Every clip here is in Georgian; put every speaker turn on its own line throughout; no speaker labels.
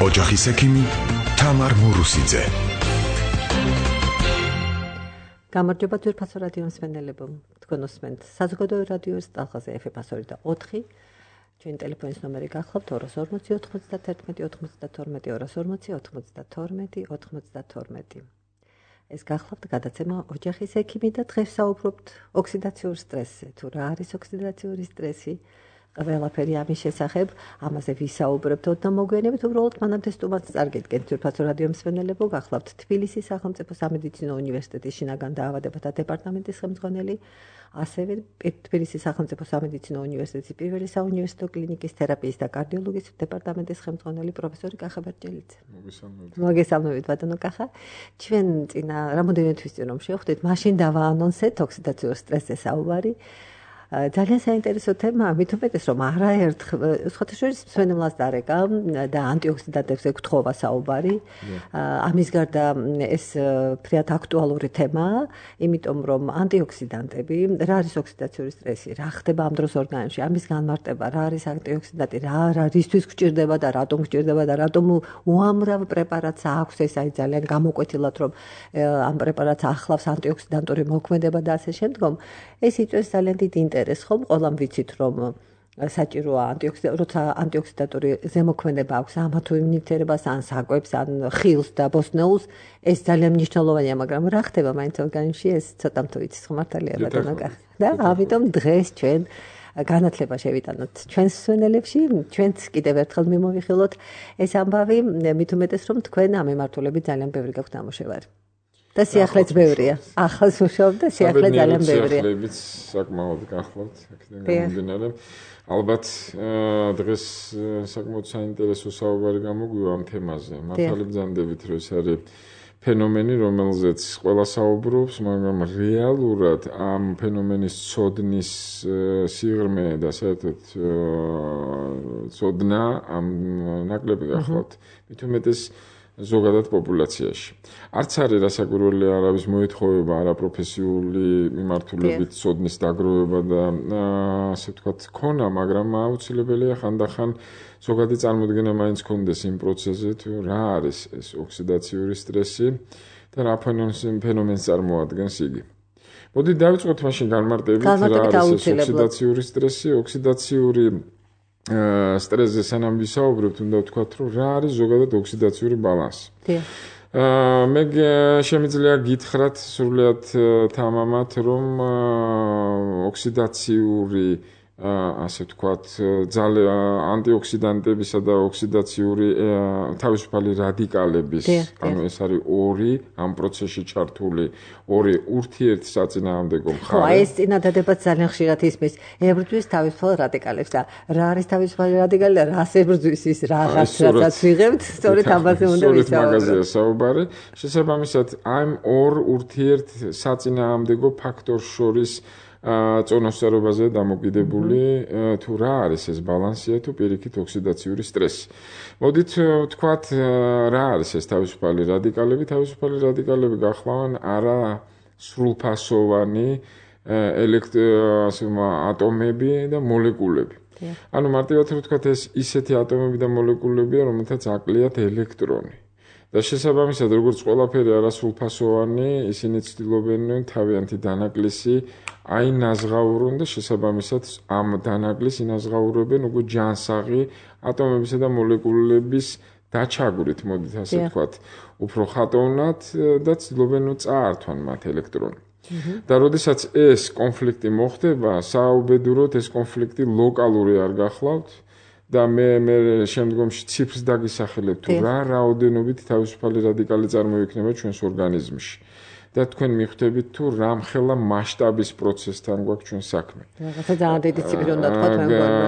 ოჯახის ექიმი თამარ მურუსიძე.
გამარჯობა ძვირფასო რადიო მსმენელებო, თქვენ უსმენთ საზოგადოებრივ რადიოს ტალღაზე FM-102 და 4. ჩვენი ტელეფონის ნომერი გახლავთ 240-91-240-240-92. ეს გახლავთ გადაცემა ოჯახის ექიმი და დღეს საუბრობთ ოქსიდაციური სტრესზე. თუ რა არის ოქსიდაციური სტრესი? ყველაფერი ამის შესახებ, ამაზე ვისაუბრებთ და მოგვიანებით უბრალოდ მანამდე სტუმარს წარგედგენთ ძვირფასო რადიო მსმენელებო, გახლავთ თბილისის სახელმწიფო სამედიცინო უნივერსიტეტის შინაგან დაავადებათა დეპარტამენტის ხელმძღვანელი, ასევე თბილისის სახელმწიფო სამედიცინო უნივერსიტეტის პირველი საუნივერსიტეტო კლინიკის თერაპიის და კარდიოლოგიის დეპარტამენტის ხელმძღვანელი პროფესორი კახა ბერჯელიძე. მოგესალმებით ბატონო კახა. ჩვენ წინა რამოდენიმე თვის წინ რომ შევხვდით, მაშინ დავაანონსეთ ოქსიდაციურ სტრესზე საუბარი. ძალიან საინტერესო თემაა, მით უმეტეს რომ არაერთხელ სხვათაშორის მსმენელს დარეკა და ანტიოქსიდანტებზე გთხოვა საუბარი. ამის გარდა ეს ფრიად აქტუალური თემაა, იმიტომ რომ ანტიოქსიდანტები, რა არის ოქსიდაციური სტრესი, რა ხდება ამ დროს ორგანიზმში, ამის განმარტება, რა არის ანტიოქსიდანტი, რისთვის გვჭირდება და რატომ გვჭირდება და რატომ უამრავ პრეპარატს აქვს ეს აი ძალიან გამოკვეთილად რომ ამ პრეპარატს ახლავს ანტიოქსიდანტური მოქმედება და ასე შემდგომ. ეს იწვევს ძალიან დიდ ინტერესს, ხომ ყველამ ვიცით რომ საჭიროა როცა ანტიოქსიდანტური ზემოქმედება აქვს ამა თუ იმ ნივთიერებას ან საკვებს ან ხილს და ბოსტნეულს, ეს ძალიან მნიშვნელოვანია, მაგრამ რა ხდება მაინც ორგანიზმში, ეს ცოტა თუ ვიცით ხმართალია ბატონო კახა. და ამიტომ დღეს ჩვენ განათლება შევიტანოთ ჩვენს მსმენელებში, ჩვენც კიდევ ერთხელ მიმოვიხილოთ ეს ამბავი, მით უმეტეს რომ თქვენ ამ მიმართულებით ძალიან ბევრი გაქვთ ნამუშევარი. და სიახლეც ბევრია. ახალს მუშაობ და სიახლე ძალიან ბევრია.
სიახლეებიც საკმაოდ გახლავთ, აქედან გამომდინარე. ალბათ დღეს საკმაოდ საინტერესო საუბარი გამოგვივა ამ თემაზე. მართალი ბრძანდებით, რომ ეს არის ფენომენი, რომელზეც ყველა საუბრობს, მაგრამ რეალურად ამ ფენომენის ცოდნის სიღრმე და საერთოდ ცოდნა ამ ნაკლები გახლავთ. მით უმეტეს ზოგადად პოპულაციაში. არც არის რასაკვირველი არავის მოეთხოვება არაპროფესიული მიმართულებით ცოდნის დაგროვება და ასე ვთქვათ ქონა, მაგრამ აუცილებელია ხანდახან ზოგადი წარმოდგენა მაინც ქონდეს იმ პროცესზე, თუ რა არის ეს ოქსიდაციური სტრესი და რა ფენომენს წარმოადგენს იგი. მოდით დავიწყოთ მაშინ განმარტებით რა არის ეს ოქსიდაციური სტრესი, ოქსიდაციური სტრესზე სანამ ვისაუბრებთ, უნდა ვთქვათ, რომ რა არის ზოგადად ოქსიდაციური ბალანსი. მე შემიძლია გითხრათ სრულიად თამამად, რომ ოქსიდაციური ასე ვთქვათ, ანტიოქსიდანტებისა და ოქსიდაციური თავისუფალი რადიკალების, ანუ ეს არის ორი ამ პროცესში ჩართული ორი ურთიერთსაწინააღმდეგო მხარე.
ხო, ეს წინადადებაც ძალიან ხშირად ისმის. ებრძვის თავისუფალ რადიკალებს და რა არის თავისუფალი რადიკალი და რას ებრძვის ის რაღაცაც ვიღებთ, სწორედ ამაზე უნდა ვისაუბროთ.
მაგაზია საუბარი. შესაბამისად, ამ ორ ურთიერთსაწინააღმდეგო ფაქტორს შორის წონასწორობაზე დამოკიდებული თუ რა არის ეს ბალანსია თუ პირიქით ოქსიდაციური სტრესი. მოდით ვთქვათ, რა არის ეს თავისუფალი რადიკალები? თავისუფალი რადიკალები გახლავენ არა სრულფასოვანი ატომები და მოლეკულები. ანუ მარტივად ვთქვათ, ეს ისეთი ატომები და მოლეკულებია, რომელთაც აკლიათ ელექტრონი. და შესაბამისად, როგორც ყველაფერი არასრულფასოვანი, ისინი ცდილობენ თავიანთი დანაკლისი აინაზღაურონ და შესაბამისად ამ დანაკლისს ინაზღაურებენ უკვე ჯანსაღი ატომებისა და მოლეკულების დაჩაგვრით, მოდით ასე ვთქვათ, უფრო ხატოვნად და ცდილობენ წაართვან მათ ელექტრონი. და როდესაც ეს კონფლიქტი მოხდება, საუბედუროდ ეს კონფლიქტი ლოკალური არ გახლავთ და მე შემდგომში ციფრს დაგისახელებ თუ რა რაოდენობით თავისუფალი რადიკალი წარმოიქმნება ჩვენს ორგანიზმში. და თქვენ მიხვდებით თუ რამხელა მასშტაბის პროცესთან გვაქვს ჩვენ საქმე.
რაღაცა ძალიან დიდი ციფრი უნდა თქვათ მე მგონი.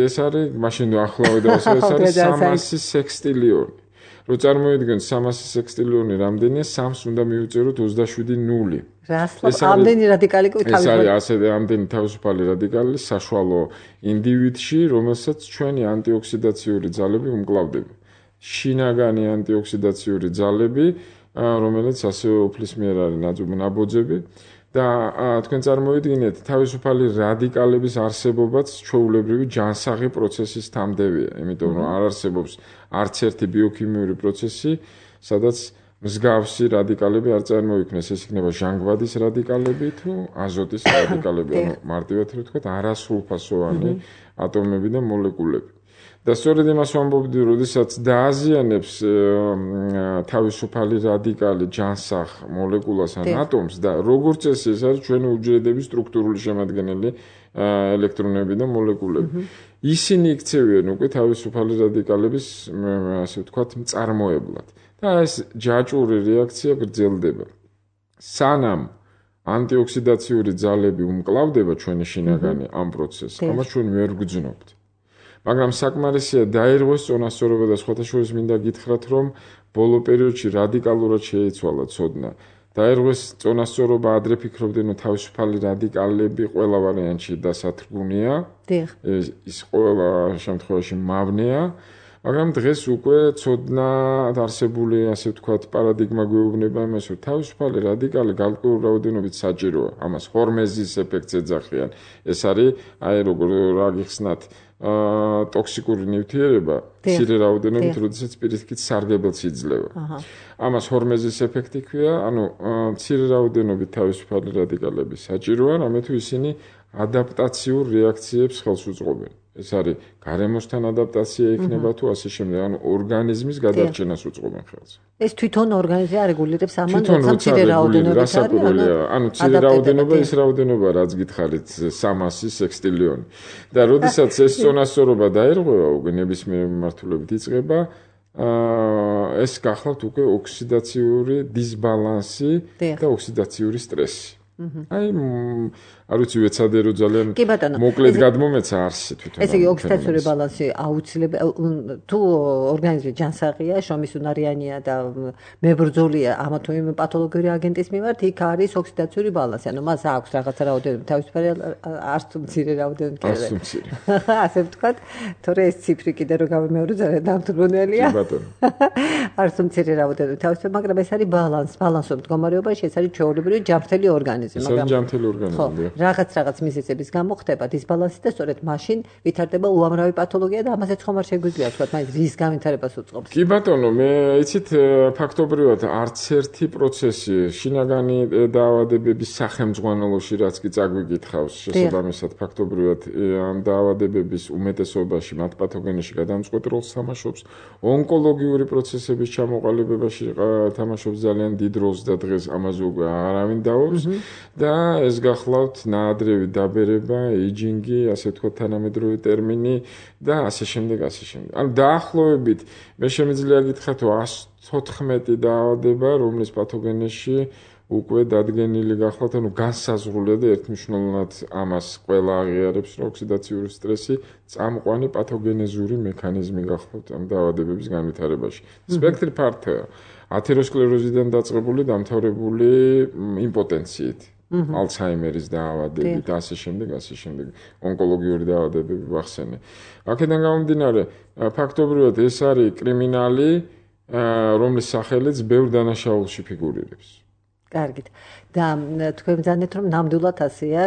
ეს არის მაშინ ახლავე და ეს არის 300 სექსტილიონი. რო წარმოიდგენთ 300 სექსტილიონი რამდენია, 3-ს უნდა მივუწეროთ 27 0.
ამდენი რადიკალი
ეს არის ასე ამდენი თავისუფალი რადიკალი საშუალო ინდივიდში, რომელსაც ჩვენი ანტიოქსიდაციური ძალები უმკლავდება. შინაგანი ანტიოქსიდაციური ძალები რომელიც ასე უფლის მიერ არის ნაბოძები და თქვენ წარმოვიდგინეთ, თავისუფალი რადიკალების არსებობაც ჩვეულებრივი ჯანსაღი პროცესის თანმდევია, იმიტომ რომ არ არსებობს არც ერთი ბიოქიმიური პროცესი, სადაც მსგავსი რადიკალები არ წარმოიქმნეს. ეს იქნება ჟანგბადის რადიკალები თუ აზოტის რადიკალები, ანუ მარტივად რო ვთქვათ, არასრულფასოვანი ატომები და მოლეკულები. და სწორედ იმას ვამბობდი, როდესაც დააზიანებს თავისუფალი რადიკალი ჯანსაღ მოლეკულას ან ატომს და როგორც ეს არის ჩვენი უჯრედების სტრუქტურული შემადგენელი ელექტრონები და მოლეკულები. ისინი იქცევიან უკვე თავისუფალი რადიკალების, ასე ვთქვათ, მწარმოებლად. და ეს ჯაჭვური რეაქცია გრძელდება. სანამ ანტიოქსიდაციური ძალები უმკლავდება ჩვენი შინაგანი ამ პროცესს, ამას ჩვენ ვერ ვგრძნობთ. მაგრამ საკმარისია დაირღვეს წონასწორობა და სხვათა შორის მინდა გითხრათ, რომ ბოლო პერიოდში რადიკალურად შეიცვალა ცოდნა. დაირღვეს წონასწორობა, ადრე ფიქრობდნენ, რომ თავისუფალი რადიკალები ყველა ვარიანტში დასათრგუნია. ის ყველა შემთხვევაში მავნეა. მაგრამ დღეს უკვე ცოდნა არსებული, ასე ვთქვათ, პარადიგმა გვეუბნება იმას, რომ თავისუფალი რადიკალი გარკვეულ რაოდენობით საჭიროა. ამას ჰორმეზის ეფექტს ეძახიან. ეს არის, როგორ რა გიხსნათ, ტოქსიკური ნივთიერება, მცირე რაოდენობით, როდესაც პირიქით სარგებელს იძლევა. ამას ჰორმეზის ეფექტი ქვია, ანუ მცირე რაოდენობით თავისუფალი რადიკალები საჭიროა, რამე თუ ისინი ადაპტაციურ რეაქციებს ხელს უწყობენ. ეს არის გარემოსთან ადაპტაცია იქნება თუ ასე შემდეგ, ანუ ორგანიზმის გადარჩენას უწყობენ ხელს.
ეს თვითონ ორგანიზმი არეგულირებს ამან, როცა მცირე რაოდენობით არის,
ანუ მცირე რაოდენობა ის რაოდენობა, რაც გითხარით 300 სექსტილიონი. და როდესაც ეს წონასწორობა დაირღვევა, უკვე ნებისმიერ მიმართულებით იწყება ეს გახლავთ უკვე ოქსიდაციური დისბალანსი და ოქსიდაციური სტრესი. აი, არ ვიცი, ვეცადე ძალიან მოკლედ გადმომეცა არსი თვითონ.
ესე იგი, ოქსიდაციური ბალანსი აუცილებელი, თუ ორგანიზმი ჯანსაღია, შრომისუნარიანია და მებრძოლია ამა თუ იმ პათოლოგიური აგენტის მიმართ, იქ არის ოქსიდაციური ბალანსი. ანუ მას აქვს რაღაცა რაოდენობით თავისუფალი, არც თუ მცირე რაოდენობით. ასე ვთქვათ, თორე ეს ციფრი კიდე რო გამომეორო ძალიან დამთვრუნელია.
კი ბატონო.
არც თუ მცირე რაოდენობით თავისუფალი, მაგრამ ეს არის ბალანსო მდგომარეობაში, ეს არის ჩვეულებრივი ჯანმრთელი ორგანიზმი.
ჯანმრთელი ორგანიზმი.
რაღაც მიზეზების გამო ხდება დისბალანსი და სწორედ მაშინ ვითარდება უამრავი პათოლოგია და ამაზეც ხომ არ შეგვიძლია თქვა, მაინც რის განვითარებას უწყობს.
კი ბატონო, მე იცით ფაქტობრივად არც ერთი პროცესი შინაგანი დაავადებების სახელმძღვანელოში რაც კი წაგვიკითხავს, შესაბამისად ფაქტობრივად ამ დაავადებების უმეტესობაში მათ პათოგენეში გადამწყვეტ როლს თამაშობს, ონკოლოგიური პროცესების ჩამოყალიბებაში თამაშობს ძალიან დიდ როლს და დღეს ამაზე უკვე არავინ დაობს და ეს გახლავთ ნაადრევი დაბერება, ეიჯინგი, ასე ვთქვათ, თანამედროვე ტერმინი და ასე შემდეგ, ასე შემდეგ. ანუ დაახლოებით მე შემიძლია გითხრათ, 114 დაავადება, რომლის პათოგენეში უკვე დადგენილი გახლავთ, ანუ განსაზღვრულია და ერთმნიშვნელოვნად ამას ყველა აღიარებს, რომ ოქსიდაციური სტრესი წამყვანი პათოგენეზური მექანიზმი გახლავთ ამ დაავადებების განვითარებაში. სპექტრი ფართოა. ათეროსკლეროზიდან დაწყებული დამთავრებული იმპოტენციით. ალცჰაიმერის დაავადებით და ასე შემდეგ, ასე შემდეგ. ონკოლოგიური დაავადებები ვახსენე. აქედან გამომდინარე, ფაქტობრივად ეს არის კრიმინალი, რომლის სახელიც ბევრ დანაშაულში ფიგურირებს.
კარგით. და თქვენ მზადეთ, რომ ნამდვილად ასეა,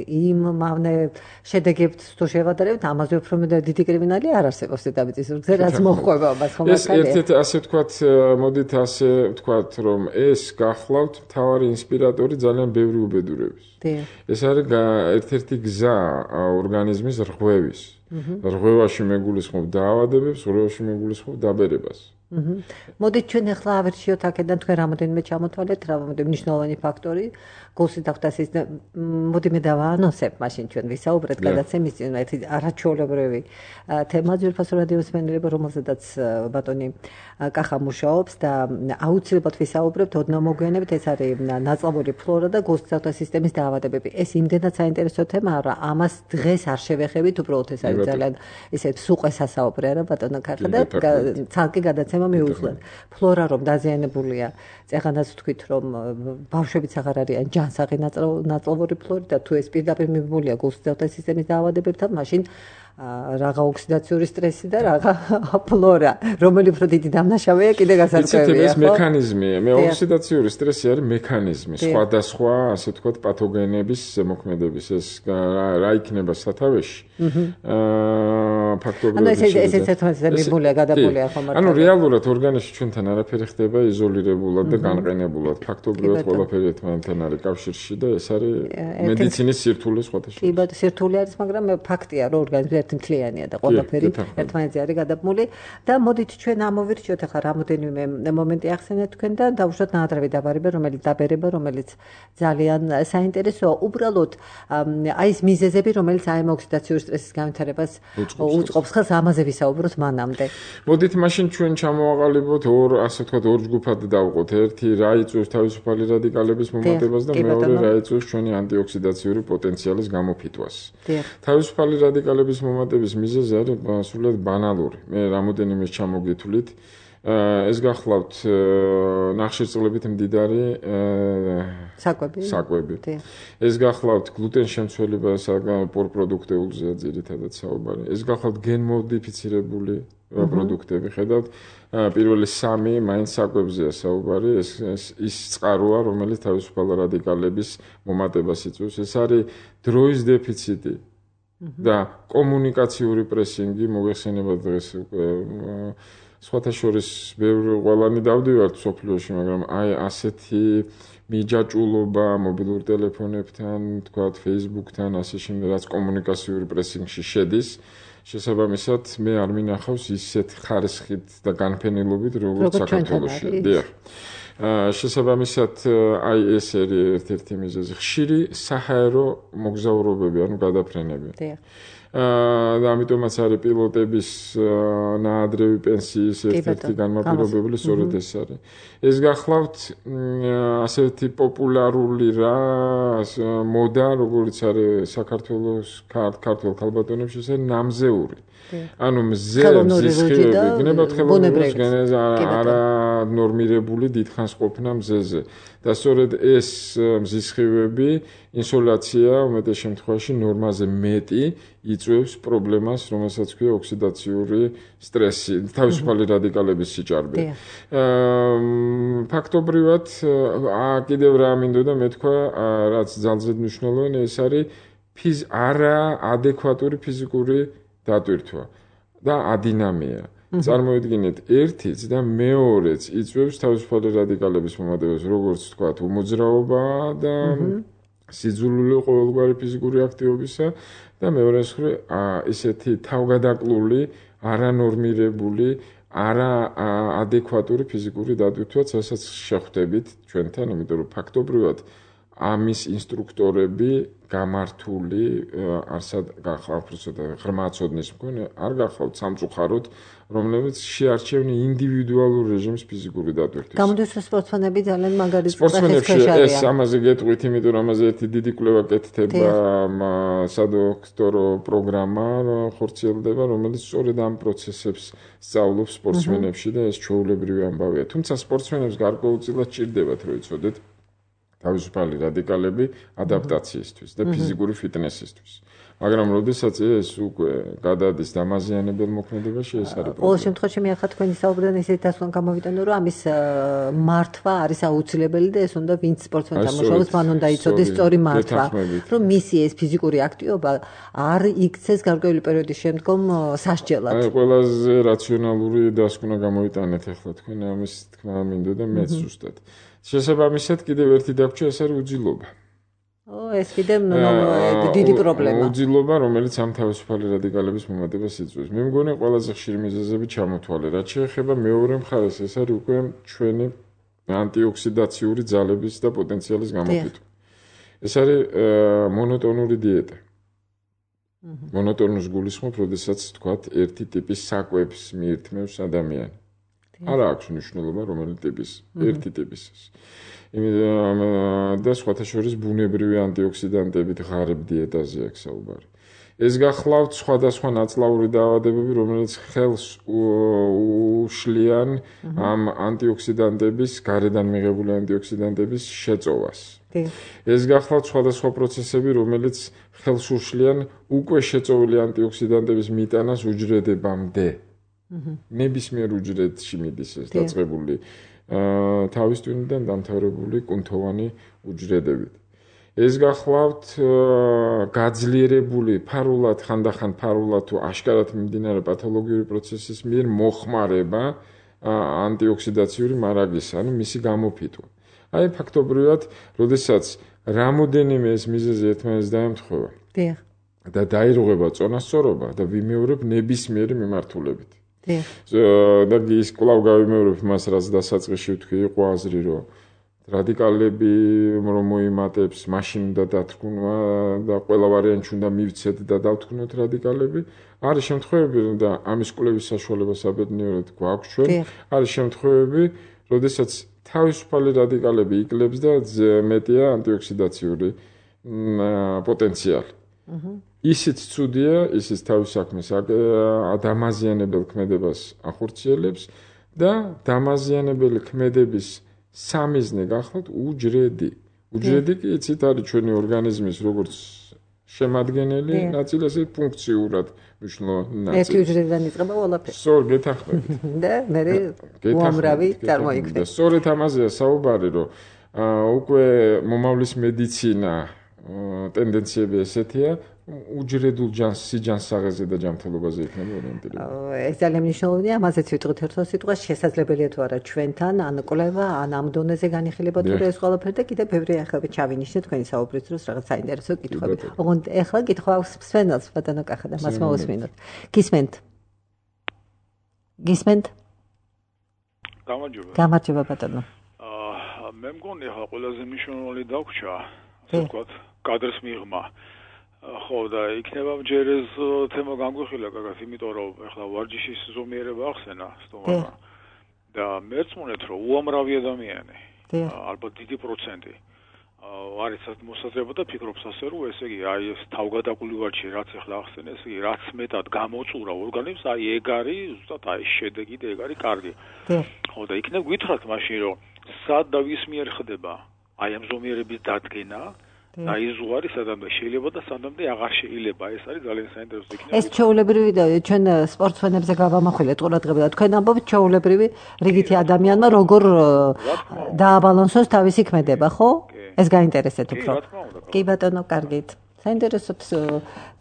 იმ მავნე შედეგებს თუ შევადარებთ, ამაზე უფრო დიდი კრიმინალი არ არსებობს დედამიწის ზურგზე, რაც მოჰყვება მას ხომ არ
ეს ერთ-ერთი ასე ვთქვათ, მოდით ასე ვთქვათ, რომ ეს გახლავთ მთავარი ინსპირატორი ძალიან ბევრი უბედურების. ეს არის ერთ-ერთი გზა ორგანიზმის რღვევის. რღვევაში მეგულისხმობ დაავადებებს, რღვევაში მეგულისხმობ დაბერებას.
მოდით ჩვენ ახლა ავერჩიოთ აქედან თქვენ რამოდენიმე ჩამოთვალეთ, რამოდენიმე მნიშვნელოვანი ფაქტორი გულსით ახდას ის მოდი მე დავაანონსებ, მაშინ ჩვენ ვისაუბრეთ გადაცემის წინ ერთი არაჩვეულებრივი თემა ძვირფასო რადიოს მენელება, რომელზედაც ბატონი კახა მუშაობს და აუცილებლად ვისაუბრებთ ოდნავ მოგვიანებით, ეს არის ნაწლავური ფლორა და გულსით სისტემის დაავადებები. ეს იმდენად საინტერესო თემაა, რომ ამას დღეს არ შევეხებით, უბრალოდ ეს არის ძალიან ისეთ სუყე სასაუბრე რა ბატონო კახა და ცალკე გადაცემა გადაცემა მიუძღვნათ. ფლორა რომ დაზიანებულია, წეღანაც ვთქვით რომ ბავშვებიც აღარ არიან ჯანსაღი ნაწლავური ფლორი და თუ ეს პირდაპირ მიბმულია გულსჯელთა სისტემის დაავადებებთან, მაშინ რაღა ოქსიდაციური სტრესი და რაღა ფლორა, რომელიც უფრო დიდი დამნაშავეა, კიდე გასარკვევია,
ეს მექანიზმია. მე ოქსიდაციური სტრესი არის მექანიზმი, სხვადასხვა, ასე ვთქვათ, პათოგენების ზემოქმედების. ეს რა იქნება სათავეში? ფაქტობრივად
ანუ ეს ერთმანეთზე მიბმულია, გადაბმულია ხომ მართლა.
ანუ რეალურად ორგანიზმში ჩვენთან არაფერი ხდება იზოლირებულად და განყენებულად. ფაქტობრივად ყველაფერი ერთმანეთთან არის კავშირში და ეს არის მედიცინის სირთულე სხვათა შორის.
კი, ბატონო, სირთულე არის, მაგრამ ფაქტია, რომ ორგანიზმი ერთმთლიანია და ყველაფერი ერთმანეთზე არის გადაბმული და მოდით ჩვენ ამოვირჩიოთ ახლა რამოდენიმე მომენტი ახსენეთ თქვენთან და უშუალოდ ნაადრევი დაბერება, რომელიც ძალიან საინტერესოა. უბრალოდ აი ეს მიზეზები, რომელიც აი ამ ოქსიდაციური სტრესის განვითარებას უწყობს ხელს, ამაზე ვისაუბროთ მანამდე.
მოდით მაშინ ჩვენ ჩამოვაყალიბოთ ასე ვთქვათ ორ ჯგუფად დავყოთ. ერთი რა იწვევს თავისუფალი რადიკალების მომატებას და მეორე რა იწვევს ჩვენი ანტიოქსიდაციური პოტენციალის გამოფიტვას. თავისუფალი რადიკალების მომატების მიზეზი არის სულად ბანალური. მე რამოდენიმეს ჩამოგითვლით. ეს გახლავთ ნახშირწყლებით მდიდარი საკვები. ეს გახლავთ გლუტენ შემცველება პორპროდუქტეულზეა ძირითადად საუბარი. ეს გახლავთ გენმოდიფიცირებული პროდუქტები. ხედავთ, პირველი 3 მაინც საკვებზეა საუბარი. ის წყაროა, რომელიც თავისუფალ რადიკალების მომატებას იწვევს. ეს არის დროის დეფიციტი და კომუნიკაციური პრესინგი. მოგეხსენებათ დღეს სხვათა შორის ყველანი დავდივართ სოფლიოში, მაგრამ აი ასეთი მიჯაჭულობა მობილურ ტელეფონებთან, თქვათ Facebook-თან, ასე შემდეგ, რაც კომუნიკაციური პრესინგში შედის, შესაბამისად მე არ მინახავს ისეთ ხარისხით და განფენილობით, როგორც საქართველოში. დიახ. შესაბამისად აი ეს არის ერთ-ერთი მიზეზი. ხშირი საჰაერო მოგზაურობები, ანუ გადაფრენები.
დიახ.
და ამიტომაც არის პილოტების ნაადრევი პენსიის ერთ-ერთი განმაპირობებელი, სწორედ ეს არის. ეს გახლავთ ასეთი პოპულარული მოდა, როგორც არის საქართველოს ქართველ ქალბატონებში, ეს არის ნამზეული. ანუ მზე მზისხივები, გნებავთ ხელოვნურს არა ნორმირებული დიდხანს ყოფნა მზეზე. და სწორედ ეს მზისხივები, ინსოლაცია უმეტეს შემთხვევაში ნორმაზე მეტი იწვევს პრობლემას, რომელსაც ქვია ოქსიდაციური სტრესი, თავისუფალი რადიკალების სიჭარბე. ფაქტობრივად, კიდევ რა მინდოდა მეთქვა, რაც ძალზედ მნიშვნელოვანი, ეს არის არაადეკვატური ფიზიკური დატვირთვა და ადინამია. წარმოიდგინეთ, ერთიც და მეორეც იწვევს თავისუფალი რადიკალების მომატებას, როგორც თქვათ, უმოძრაობა და სიძულვილი ყოველგვარი ფიზიკური აქტივობისა და მეორე ისეთი თავგადაკლული, არანორმირებული, არაადეკვატური ფიზიკური დატვირთვაც, რასაც შეხვდებით ჩვენთან, იმიტომ რომ ფაქტობრივად ამის ინსტრუქტორები გამართული არსად გახავთ ღრმა ცოდნის მქონე, არ გახავთ სამწუხაროდ, რომლებიც შეარჩევენ ინდივიდუალურ რეჟიმს ფიზიკური დატვირთვის.
გამოდის რომ სპორტსმენები ძალიან მაგარი
სპორტსმენებში ეს ამაზე გეტყვით, იმიტომ რომ ამაზე ერთი დიდი კვლევა კეთდება, სადოქტორო პროგრამა ხორციელდება, რომელიც სწორედ ამ პროცესებს სწავლობს სპორტსმენებში და ეს ჩვეულებრივი ამბავია. თუმცა სპორტსმენებს გარკვეულწილად ჭირდებათ, რომ იცოდეთ თავისუფალი რადიკალები ადაპტაციისთვის და ფიზიკური ფიტნესისთვის. მაგრამ როდესაც ეს უკვე გადადის დამაზიანებელ მოქმედებაში, ეს არის პრობლემა.
ყოველ შემთხვევაში მე ახლა თქვენი საუბრიდან ისეთი დასკვნა გამოვიტანო, რომ ამის მართვა არის აუცილებელი და ეს უნდა ვინც სპორტსმენთან მუშაობს, მან უნდა იცოდეს სწორი მართვა, რომ მისი ეს ფიზიკური აქტივობა არ იქცეს გარკვეული პერიოდის შემდგომ სასჯელად.
აი ყველაზე რაციონალური დასკვნა გამოვიტანეთ ახლა თქვენ ამის თქმა მინდოდა მეც ზუსტად. შესაბამისად კიდევ ერთი დაგვრჩა, ეს არის უძილობა.
ეს კიდევ დიდი პრობლემა.
უძილობა, რომელიც ამ თავისუფალი რადიკალების მომატებას იწვევს. მე მგონი ყველაზე ხშირი მიზეზები ჩამოთვალე. რაც შეეხება მეორე მხარეს, ეს არის უკვე ჩვენი ანტიოქსიდაციური ძალების და პოტენციალის გამოფიტვა. ეს არის მონოტონური დიეტა. მონოტონურს გულისხმობ, როდესაც თქვათ, ერთი ტიპის საკვებს მიირთმევს ადამიანი. არა აქვს მნიშვნელობა, რომელი ტიპის, ერთი ტიპის. და სხვათა შორის ბუნებრივი ანტიოქსიდანტებით ღარიბ დიეტაზე აქვს საუბარი. ეს გახლავთ სხვადასხვა ნაწლავური დაავადებები, რომელიც ხელს უშლიან ამ ანტიოქსიდანტების, გარედან მიღებული ანტიოქსიდანტების შეწოვას. ეს გახლავთ სხვადასხვა პროცესები, რომელიც ხელს უშლიან უკვე შეწოვილი ანტიოქსიდანტების მიტანას უჯრედებამდე. ნებისმიერ უჯრედში მიდის ეს დაწყებული თავის ტვინიდან დამთავრებული კუნთოვანი უჯრედებით. ეს გახლავთ გაძლიერებული ფარულად, ხანდახან ფარულად თუ აშკარად მიმდინარე პათოლოგიური პროცესის მიერ მოხმარება ანტიოქსიდაციური მარაგის, ანუ მისი გამოფიტვა. აი ფაქტობრივად, როდესაც რამოდენიმე ეს მიზეზი ერთმანეთს დაემთხვევა და დაირღვება წონასწორობა და ვიმეორებ ნებისმიერი მიმართულებით. და ის კვლავ გავიმეორებ მას, რაც დასაწყისში ვთქვი, იყო აზრი, რომ რადიკალები რომ მოიმატებს, მაშინ უნდა დათქმვა და ყველა ვარიანტში უნდა მივცეთ და დავთქმოთ რადიკალები. არის შემთხვევები და ამის კვლევის საშუალება საბედნიეროდ გვაქვს ჩვენ. არის შემთხვევები, როდესაც თავისუფალი რადიკალები იკლებს და მეტია ანტიოქსიდაციური პოტენციალი. ისიც ცუდია, ისიც თავის საქმეს დამაზიანებელ ქმედებას ახორციელებს და დამაზიანებელი ქმედების სამიზნე გახლავთ უჯრედი. უჯრედი კი იცით არის ჩვენი ორგანიზმის როგორც შემადგენელი ნაწილი, ასე ფუნქციურად მნიშვნელოვანი ნაწილი.
ერთი უჯრედიდან იწყება ყველაფერი.
სწორ გეთანხმებით.
და მე უამრავი წარმოიქმნება.
სწორედ ამაზეა საუბარი, რომ უკვე მომავლის მედიცინა ტენდენციები ესეთია, უჯრედულ სიჯანსაღეზე და ჯანმრთელობაზე იქნება ორიენტირებული.
ეს ძალიან მნიშვნელოვანია, ამაზეც ვიტყვით ერთ სიტყვას, შესაძლებელია თუ არა ჩვენთან ან კვლევა, ან ამ დონეზე განიხილება თუ ეს ყველაფერი და კიდევ ბევრი ახალები ჩავინიშნეთ თქვენი საუბრის დროს რაღაც საინტერესო კითხვები. ოღონდ ეხლა კითხვა აქვს სვენელს, ბატონო კახა და მას მოვუსმინოთ. გისმენთ? გამარჯობა ბატონო.
მე მგონი ახლა ყველაზე მნიშვნელოვანი დაგვრჩა, ასე ვთქვათ, კადრს მიღმა. ხო და იქნება ჯერ ეს თემა განგვიხილა გაგას, იმიტომ რომ ახლა ვარჯიშის ზომიერება ახსენა სტუმარმა და მერწმუნეთ რომ უამრავი ადამიანი, ალბათ დიდი პროცენტი არის მოსაზრება და ფიქრობს ასე რომ ესე იგი აი ეს თავგადაკული ვარჯიში რაც ახლა ახსენე, ესე იგი რაც მეტად გამოწურა ორგანიზმს, აი ეგ არის ზუსტად აი შედეგი და ეგ არის კარგი. ხო და იქნებ გითხრათ მაშინ რომ სად და ვის მიერ ხდება აი ამ ზომიერების დადგენა და ის ზღვარი სადამდე შეიძლება და სადამდე აღარ შეიძლება. ეს არის ძალიან საინტერესო იქნება.
ეს ჩვეულებრივი ჩვენ სპორტსმენებზე გავამახვილეთ ყურადღება. თქვენ ამბობთ ჩვეულებრივი რიგითი ადამიანმა როგორ დააბალანსოს თავისი ქმედება, ხო? ეს გაინტერესეთ უფრო. კი ბატონო, კარგით. საინტერესოდ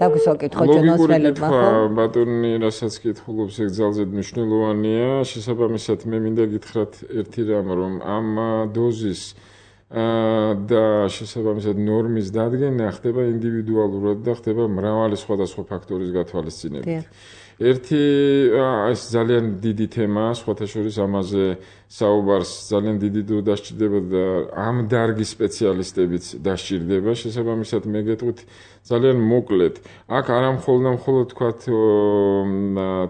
დაგვისვაკითხო ჩვენ ოსმელებმა, ხო?
ბატონი, რასაც კითხულობს, ეგ ძალზედ მნიშვნელოვანია. შესაბამისად, მე მინდა გითხრათ ერთი რამ, რომ ამ დოზის და შესაბამისად ნორმის დადგენა ხდება ინდივიდუალურად და ხდება მრავალი სხვადასხვა ფაქტორის გათვალისწინებით. ერთი ეს ძალიან დიდი თემაა, სხვათა შორის ამაზე საუბარს ძალიან დიდი დრო დასჭირდება და ამ დარგის სპეციალისტებიც დასჭირდება. შესაბამისად მე გეტყვით ძალიან მოკლედ. აქ არა მხოლოდ თქვათ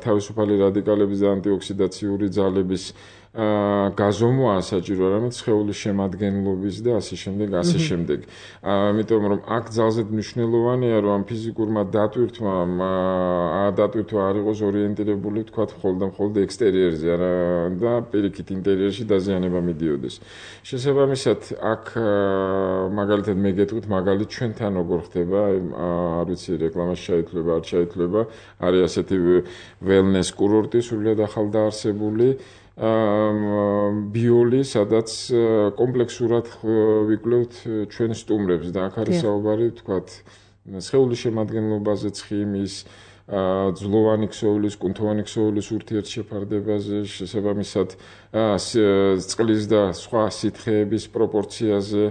თავისუფალი რადიკალების და ანტიოქსიდაციური ძალების გაზომვაა საჭირო, არამედ სხეულის შემადგენლობის და ასე შემდეგ. ამიტომ რომ აქ ძალზედ მნიშვნელოვანია, რომ ამ ფიზიკურმა დატვირთვა არ იყოს ორიენტირებული, თქვათ, მხოლოდ ექსტერიერზე, არა და პირიქით ინტერიერში დაზიანება მიდიოდეს. შესაბამისად, აქ მაგალითად მე გეტყვით, მაგალითად ჩვენთან როგორ ხდება, არ ვიცი, რეკლამაში შეითვლება, არ შეითვლება, არის ასეთი wellness კურორტი, სრულიად ახალდაარსებული ბიოლი, სადაც კომპლექსურად ვიკვლევთ ჩვენ სტუმრებს და აქ არის საუბარი, თქვათ, სხეულის შემადგენლობაზე, ცხიმის, ძვლოვანი ქსოვილის, კუნთოვანი ქსოვილის ურთიერთშეფარდებაზე, შესაბამისად წყლის და სხვა სითხეების პროპორციაზე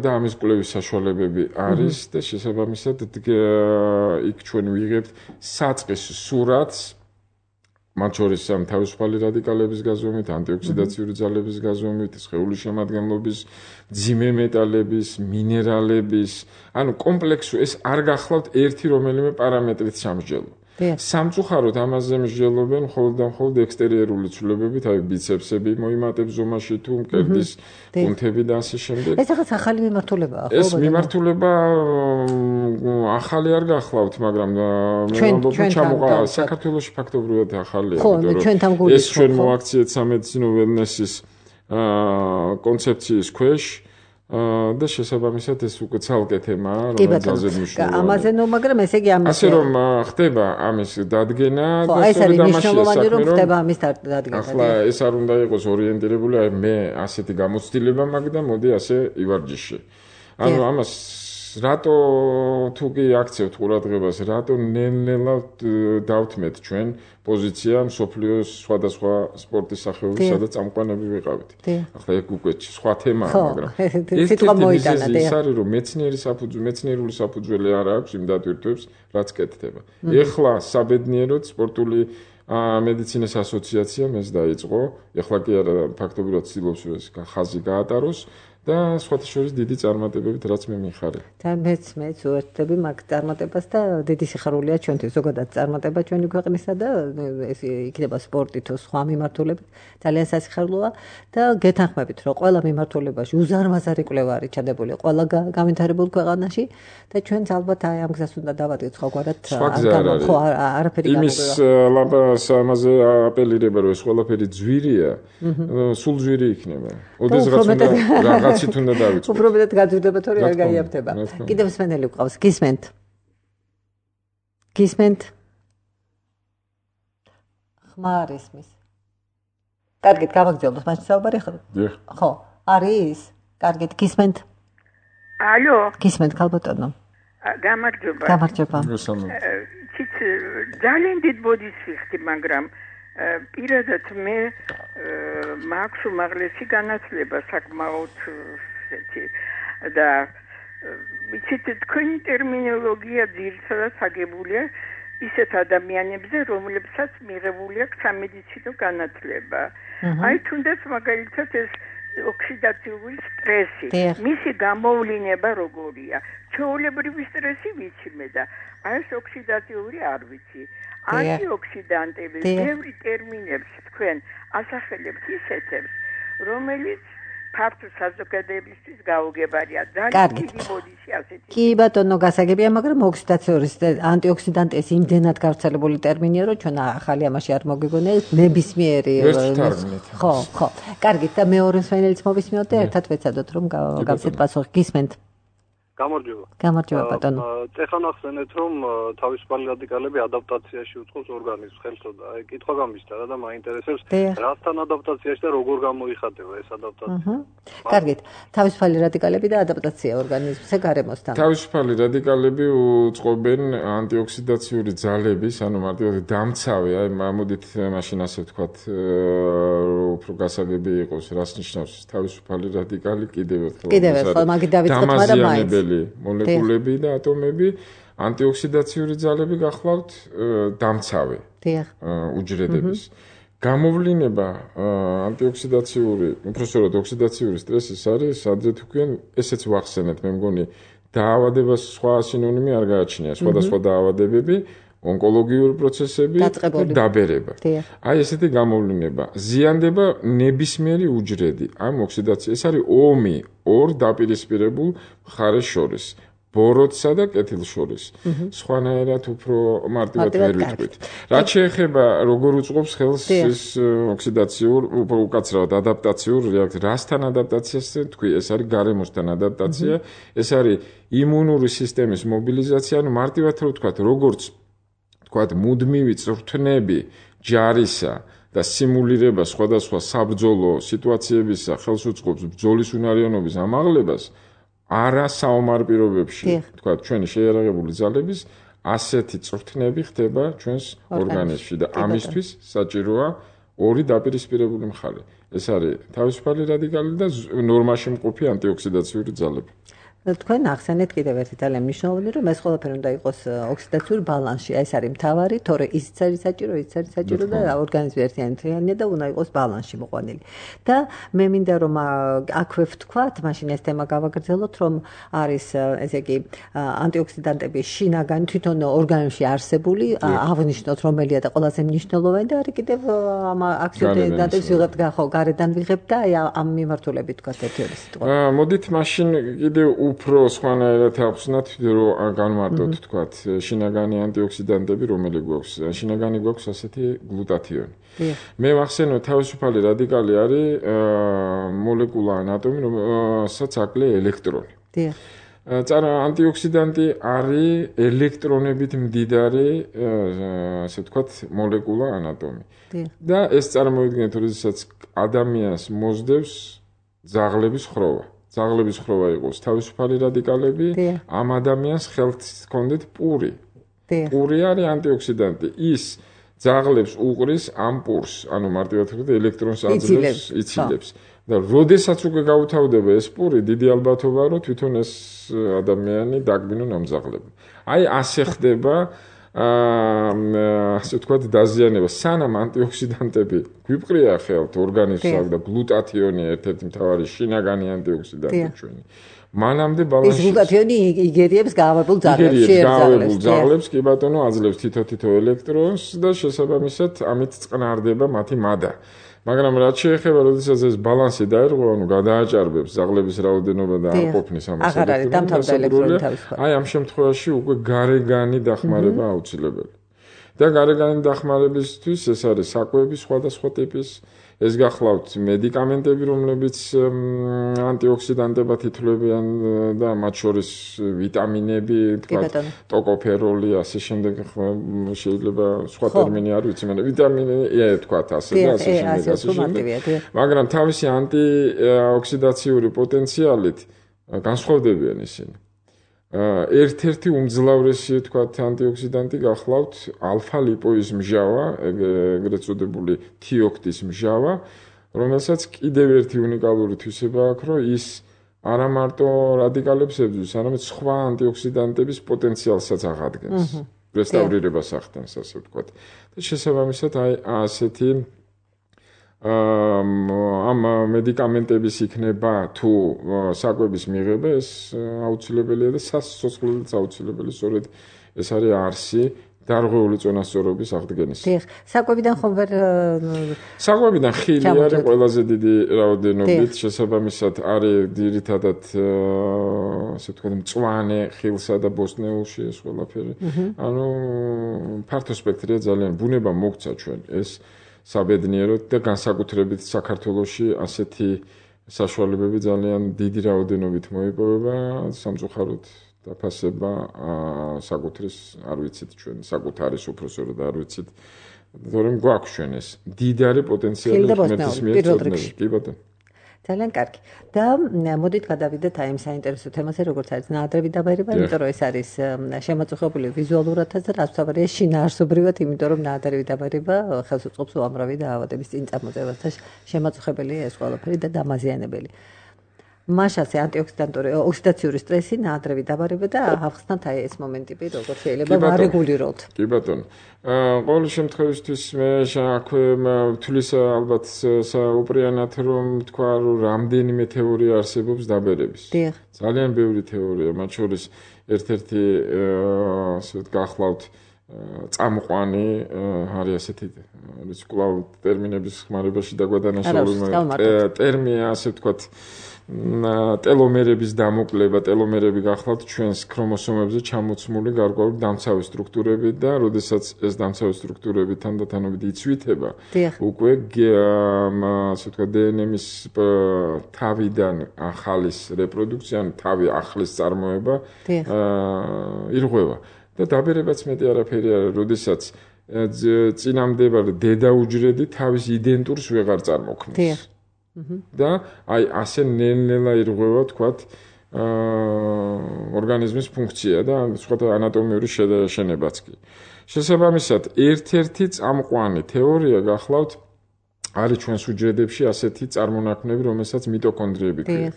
და ამის კვლევის საშუალებები არის და შესაბამისად იქ ჩვენ ვიღებთ საწყის სურათს, მათ შორის თავისუფალი რადიკალების გაზომვით, ანტიოქსიდაციური ძალების გაზომვით, სხეულის შემადგენლობის, მძიმე მეტალების, მინერალების, ანუ კომპლექსური ეს არ გახლავთ ერთი რომელიმე პარამეტრით სამსჯელო. სამწუხაროდ ამაზე მსჯელობენ მხოლოდ და მხოლოდ ექსტერიერული ცვლილებებით, აი ბიცეპსები მოიმატებს ზომაში თუ მკერდის კუნთები და ასე შემდეგ.
ეს ახაც ახალი მიმართულებაა, ხო?
ეს მიმართულება ახალი არ გახლავთ, მაგრამ საქართველოში ფაქტობრივად ახალია,
იმიტომ
რომ ეს ჩვენ მოაქციეთ სამედიცინო ველნესის კონცეფციის ქვეშ და შესაბამისად ეს უკვე ცალკე თემაა, რომელიც ძალზე მნიშვნელოვანია.
ამაზე ნუ, მაგრამ ესე იგი ამას
ასე რომ ხდება ამის დადგენა
და სწორედ ამაში რომ ხდება ამის დადგენა.
ახლა ეს არ უნდა იყოს ორიენტირებული, აი მე ასეთი გამოცდილება მაქვს და მოდი ასე ივარჯიშე. ანუ ამას რატო თუ კი აქცევთ ყურადღებას, რატო ნელ-ნელა დავთმეთ ჩვენ პოზიცია მსოფლიოს სხვადასხვა სპორტის სახეობის, სადაც წამყვანები ვიყავით. ახლა ეგ უკვე სხვა თემაა, მაგრამ ეს არის რომ მეცნიერული საფუძველი არ აქვს იმ დატვირთვებს, რაც კეთდება. ეხლა საბედნიეროდ სპორტული მედიცინის ასოციაციამ ეს დაიწყო, ეხლა კი არა ფაქტობრივად ცდილობს რომ ეს ხაზი გაატაროს. და სხვათა შორის დიდი წარმატებებით რაც მე მიხარებ.
და მეც უერთდები მაგ წარმატებას და დიდი სიხარულია ჩვენთვის ზოგადად წარმატება ჩვენი ქვეყნისა და ეს იქნება სპორტი თუ სხვა მიმართულებით ძალიან სასიხარულოა და გეთანხმებით რომ ყველა მიმართულებაში უზარმაზარი კვლევა არის ჩადებული ყველა განვითარებულ ქვეყანაში და ჩვენც ალბათ აი ამ გზას უნდა დავადგეთ სხვაგვარად არაფერი
იმის ლამპას ამაზე აპელირება რომ ეს ყველაფერი ძვირია სულ ძვირი იქნება. ოდესღაც უნდა რაღაცით უნდა დავიწყოთ.
უფრო მეტად გაძვირდება თორე არ გაიაფთება. კიდევ მსმენელი გვყავს. გისმენთ? ხმარ ისმის. კარგით, გავაგრძელოთ მაშინ საუბარი ხო? ხო, არის? კარგით, გისმენთ?
ალო.
გისმენთ, ქალბატონო.
გამარჯობა.
გამარჯობა.
ცით ძალიან დიდ ბოდიშს ვიხდი, მაგრამ პირადად მე მაქვს უმაღლესი განათლება საკმაოდ და ვიცით თქვენი ტერმინოლოგია ძირითადად აგებულია ისეთ ადამიანებზე, რომლებსაც მიღებული აქვს სამედიცინო განათლება. აი თუნდაც მაგალითად ეს ოქსიდაციური სტრესი, მისი გამოვლინება როგორია? ჩვეულებრივი სტრესი ვიცი მე და აი ეს ოქსიდაციური არ ვიცი. ანტიოქსიდანტები, ბევრი ტერმინებს თქვენ ასახელებთ ისეთებს, რომელიც ფართო საზოგადოებისთვის გაუგებარია. ძალიან დიდი ბოდიში ასეთი.
კი ბატონო, გასაგებია, მაგრამ ოქსიდაციური ანტიოქსიდანტი ეს იმდენად გავრცელებული ტერმინია, რომ ჩვენ ახალი ამაში არ მოგიგონია, ნებისმიერი. ხო. კარგით, და მეორე მსმენელიც მოვისმინოთ და ერთად ვეცადოთ რომ გავცეთ პასუხი. გისმენთ? გამარჯობა ბატონო.
ეხლა ნახსენეთ რომ თავისუფალი რადიკალები ადაპტაციაში უწყობს ორგანიზმს ხელს და აი კითხვა გამისთა და მაინტერესებს რასთან ადაპტაციაში და როგორ გამოიხატება ეს ადაპტაცია.
კარგით, თავისუფალი რადიკალები და ადაპტაცია ორგანიზმზე გარემოსთან.
თავისუფალი რადიკალები უწყობენ ანტიოქსიდაციური ძალების, ანუ მარტივად დამცავი, აი მოდით მაშინ ასე ვთქვათ, უფრო გასაგები იყოს, რას ნიშნავს თავისუფალი რადიკალი კიდევ
ერთხელ მაგით დავიწყოთ, მაგრამ მაინც
მოლეკულები და ატომები ანტიოქსიდაციური ძალები გახლავთ დამცავი უჯრედების. გამოვლინება ანტიოქსიდაციური, უпростоრად ოქსიდაციური სტრესის არის, სადღაც თქვენ ესეც ვახსენეთ, მე მგონი დაავადებას სხვა სინონიმი არ გააჩნია, სხვადასხვა დაავადებები, ონკოლოგიური პროცესები და დაბერება. აი ესეთი გამოვლინება ზიანდება ნებისმიერი უჯრედი ამ ოქსიდაცია. ეს არის ომი ორ დაპირისპირებულ მხარეს შორის, ბოროტსა და კეთილს შორის. სხვანაირად უფრო მარტივად ვერ ვიტყვით. რაც შეეხება როგორ უწყობს ხელს ეს ოქსიდაციურ, უკაცრავად ადაპტაციურ რეაქციას, რასთან ადაპტაციას თქვი, ეს არის გარემოსთან ადაპტაცია, ეს არის იმუნური სისტემის მობილიზაცია, ანუ მარტივად რო ვთქვათ, როგორც თქვათ მუდმივი წვრთნები ჯარისა და სიმულირება სხვადასხვა საბრძოლო სიტუაციებისა ხელს უწყობს ბრძოლის უნარიანობის ამაღლებას არა საომარ პირობებში თქვათ ჩვენი შეიარაღებული ძალების ასეთი წვრთნები ხდება ჩვენს ორგანიზმში და ამისთვის საჭიროა ორი დაპირისპირებული მხარე. ეს არის თავისუფალი რადიკალი და ნორმაში მყოფი ანტიოქსიდაციური ძალები.
თქვენ ახსენეთ კიდევ ერთი ძალიან მნიშვნელოვანი, რომ ეს ყველაფერი უნდა იყოს ოქსიდაციური ბალანსში. ეს არის მთავარი, თორე ისიც არის საჭირო და ორგანიზმი ერთიანია და უნდა იყოს ბალანსში მოყვანილი. და მე მინდა რომ აქვე ვთქვათ, მაშინ ეს თემა გავაგრძელოთ, რომ არის ესე იგი ანტიოქსიდანტები შინაგანი თვითონ ორგანიზმში არსებული, აღნიშნოთ რომელია და ყველაზე მნიშვნელოვანი და არის კიდევ ამ აქტივობებს ვიღებ ხო გარედან ვიღებ და აი ამ მიმართულებით თქვათ ერთი-ორი სიტყვა.
მოდით მაშინ კიდევ უფრო სხვანაირად ახსნათ, რომ განმარტოთ თქვათ შინაგანი ანტიოქსიდანტები რომელი გვაქვს. შინაგანი გვაქვს ასეთი გლუტათიონი. მე ვახსენო თავისუფალი რადიკალი არის მოლეკულა ანატომი, რომელსაც აკლია ელექტრონი. ანტიოქსიდანტი არის ელექტრონებით მდიდარი, ასე ვთქვათ, მოლეკულა ანატომი. და ეს წარმოიდგინეთ, როდესაც ადამიანს მოსდევს ძაღლების ხროვა. ძაღლების ხროვა იყოს თავისუფალი რადიკალები, ამ ადამიანს ხელს ჰქონდეთ პური. პური არის ანტიოქსიდანტი. ის ძაღლებს უყრის ამ პურს, ანუ მარტივად ვთქვით, ელექტრონს აძლევს, იცილებს. და როდესაც უკვე გაუთავდება ეს პური, დიდი ალბათობაა, რომ თვითონ ეს ადამიანი დაგბინონ ამ ძაღლებმა. აი ასე ხდება ასე ვთქვათ დაზიანება. სანამ ანტიოქსიდანტები გვიპყრია ხელთ ორგანიზმს და გლუტათიონი ერთ-ერთი მთავარი შინაგანი ანტიოქსიდანტი ჩვენი. მანამდე ბალანსი
ეს გლუტათიონი იგერიებს გაავებულ
ძაღლებს, კი ბატონო, აძლევს თითო ელექტრონს და შესაბამისად ამით წყნარდება მათი მადა. მაგრამ რაც შეეხება, როდესაც ეს ბალანსი დაერღვა, ანუ გადააჭარბებს ძაღლების რაოდენობა და არ ყოფნის ამას ელექტრონი, აი ამ შემთხვევაში უკვე გარეგანი დახმარება აუცილებელი. და გარეგანი დახმარებისთვის ეს არის საკვები სხვადასხვა ტიპის, ეს გახლავთ მედიკამენტები, რომლებიც ანტიოქსიდანტებად ითვლებიან და მათ შორის ვიტამინები, თქვათ, ტოკოფეროლი, ასე შემდეგ, შეიძლება სხვა ტერმინი არ ვიცი, მაგრამ ვიტამინი, თქვათ, ასე და ასე შემდეგ. მაგრამ თავისი ანტიოქსიდაციური პოტენციალით განსხვავდებიან ისინი. ერთ-ერთი უმძლავრესი, თქვათ, ანტიოქსიდანტი გახლავთ ალფა-ლიპოის მჟავა, ეგრეთ წოდებული თიოქტის მჟავა, რომელსაც კიდევ ერთი უნიკალური თვისება აქვს, რომ ის არა მარტო რადიკალებს ებრძვის, არამედ სხვა ანტიოქსიდანტების პოტენციალსაც აღადგენს. რესტავრირებას ახდენს, ასე ვთქვათ. და შესაბამისად, აი ასეთი ამ მედიკამენტების იქნება თუ საკვების მიღება, ეს აუცილებელია და სასიცოცხლეც აუცილებელი, სწორედ ეს არის არსი დარღვეული წონასწორობის აღდგენის.
საკვებიდან ხომ ვერ
საკვებიდან ხილი არის ყველაზე დიდი რაოდენობით, შესაბამისად არის ძირითადად ასე ვთქვათ მწვანე ხილსა და ბოსტნეულში ეს ყველაფერი. ანუ ფართო სპექტრია ძალიან, ბუნება მოგცა ჩვენ ეს საბედნიეროდ და განსაკუთრებით საქართველოში ასეთი საშუალებები ძალიან დიდი რაოდენობით მოიპოვება, სამწუხაროდ დაფასება საკუთრის არ ვიცით ჩვენ, საკუთარის უფროსოდ არ ვიცით, თორემ გვაქვს ჩვენ ეს დიდარი პოტენციალი მეტისმიერ. კი ბატონო.
ძალიან კარგი. და მოდით გადავიდეთ აი ამ საინტერესო თემაზე, როგორც არის ნაადრევი დაბერება, იმიტომ რომ ეს არის შემაწუხებული ვიზუალურადაც და რაც თავარია შინაარსობრივად, იმიტომ რომ ნაადრევი დაბერება ხელს უწყობს უამრავი დაავადების წინ წამოწევას და შემაწუხებელია ეს ყველაფერი და დამაზიანებელი. მაშასე ანტიოქსიდანტური ოქსიდაციური სტრესი, ნაადრევი დაბარება და ახსნათ აი ეს მომენტები, როგორც შეიძლება ვარეგულიროთ.
კი ბატონო. ყოველ შემთხვევაში მე აქვე ვთვლის ალბათ საუბრიანად რომ თქვა რომ რამდენიმე თეორია არსებობს დაბერების. ძალიან ბევრი თეორია, მათ შორის ერთ-ერთი ასე გახლავთ წამყვანი არის ასეთი ის კვლავ ტერმინების ხმარებაში დაგვადანაშაულება ტერმინი ასე ვთქვათ ტელომერების დამოკლება, ტელომერები გახლავთ ჩვენს ქრომოსომებზე ჩამოცმული გარკვეული დამცავი სტრუქტურები და როდესაც ეს დამცავი სტრუქტურები თანდათანობით იცვითება, უკვე ასე ვთქვათ დნმ-ის თავიდან ახალის რეპროდუქცია, თავი ახლის წარმოება ირღვევა. და დაბერებაც მეტი არაფერი არა, როდესაც წინამდებარე დედაუჯრედი თავის იდენტურს ვეღარ წარმოქმნის. და აი ასე ნელ-ნელა ირღვევა, თქვათ, ორგანიზმის ფუნქცია და სხვათა ანატომიური შენობაც კი. შესაბამისად, ერთ-ერთი წამყვანი თეორია გახლავთ არის ჩვენს უჯრედებში ასეთი წარმონაქმნები, რომელსაც მიტოქონდრიები ქვია.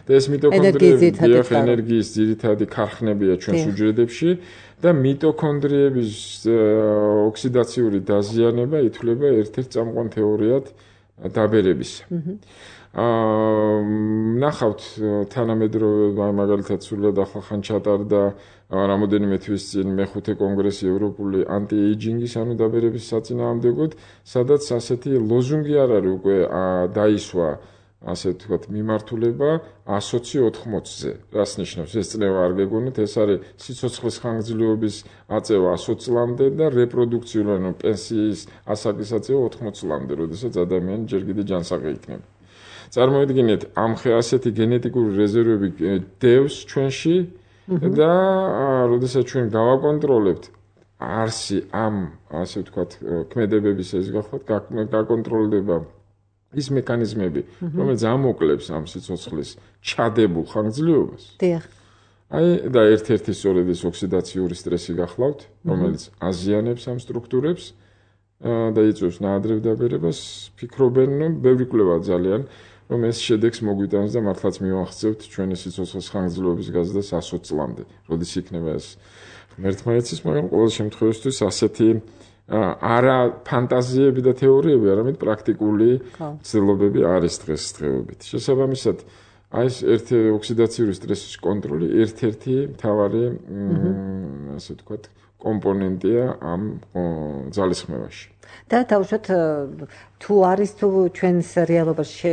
და ეს მიტოქონდრიები ენერგიის ძირითადი ქარხნებია ჩვენს უჯრედებში და მიტოქონდრიების ოქსიდაციური დაზიანება ითვლება ერთ-ერთ წამყვან თეორიად დაბერებისა. ნახავთ თანამედროვე მაგალითად სულად ახლახან ჩატარდა რამოდენიმე თვის წინ მე-5 კონგრესი ევროპული ანტი-ეიჯინგის ანუ დაბერების საწინააღმდეგოდ, სადაც ასეთი ლოზუნგი არ არის უკვე დაისვა ასე ვთქვათ მიმართულება 120-80-ზე. რას ნიშნავს? ეს წნევა არ გეგონოთ, ეს არის სიცოცხლის ხანგრძლივობის აწევა 100 წლამდე და რეპროდუქციული ანუ პენსიის ასაკის აწევა 80 წლამდე, როდესაც ადამიანი ჯერ კიდევ ჯანსაღი იქნება. წარმოიდგინეთ, ასეთი გენეტიკური რეზერვები დევს ჩვენში და როდესაც ჩვენ გავაკონტროლებთ არსი ამ ასე ვთქვათ ქმედებების ეს გაკონტროლდება ის მექანიზმები, რომელიც ამოკლებს ამ სიცოცხლის ჩადებულ ხანგრძლივობას. დიახ. და ერთ-ერთი სწორედ ეს ოქსიდაციური სტრესი გახლავთ, რომელიც აზიანებს ამ სტრუქტურებს და იწვევს ნაადრევ დაბერებას, ფიქრობენ, რომ ბევრი კვლევა ძალიან რომ ეს შედეგს მოგვიტანს და მართლაც მივახცევთ ჩვენი სიცოცხლის ხანგრძლივობის გაზრდას 100 წლამდე. როდის იქნება ეს ღმერთმაეცის, მაგრამ ყოველ შემთხვევაში ასეთი არა ფანტაზიები და თეორიები, არამედ პრაქტიკული ცდილობები არის დღესდღეობით. შესაბამისად, ეს ერთი ოქსიდაციური სტრესის კონტროლი ერთ-ერთი მთავარი ასე ვთქვათ კომპონენტია ამ ძალისხმევაში.
და თავშოთ თუ არის თუ ჩვენს რეალობაში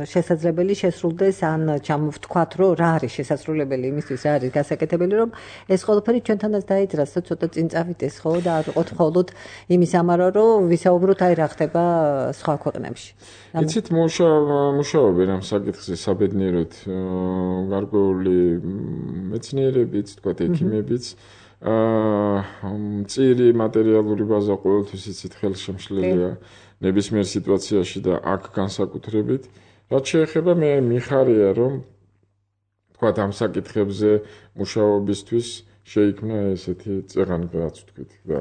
შესაძლებელი შესრულდეს ან ჩამოვთქვათ რომ რა არის შესაძლებელი იმისთვის რა არის გასაკეთებელი რომ ეს ყველაფერი ჩვენთანაც დაიძრას და ცოტა წინ წავიდეს ხო და არ ვიყოთ მხოლოდ იმის ამარა რომ ვისაუბროთ აი რა ხდება სხვა ქვეყნებში.
იცით მუშაობენ ამ საკითხზე საბედნიეროდ გარკვეული მეცნიერებიც თქვათ ექიმებიც მწირი მატერიალური ბაზა ყოველთვის იცით ხელშემშლელია ნებისმიერ სიტუაციაში და აქ განსაკუთრებით რაც შეეხება მე მიხარია რომ თქვა ამ საკითხებზე მუშაობისთვის შეიქმნა ესეთი წეღანი რაც ვთქვით
და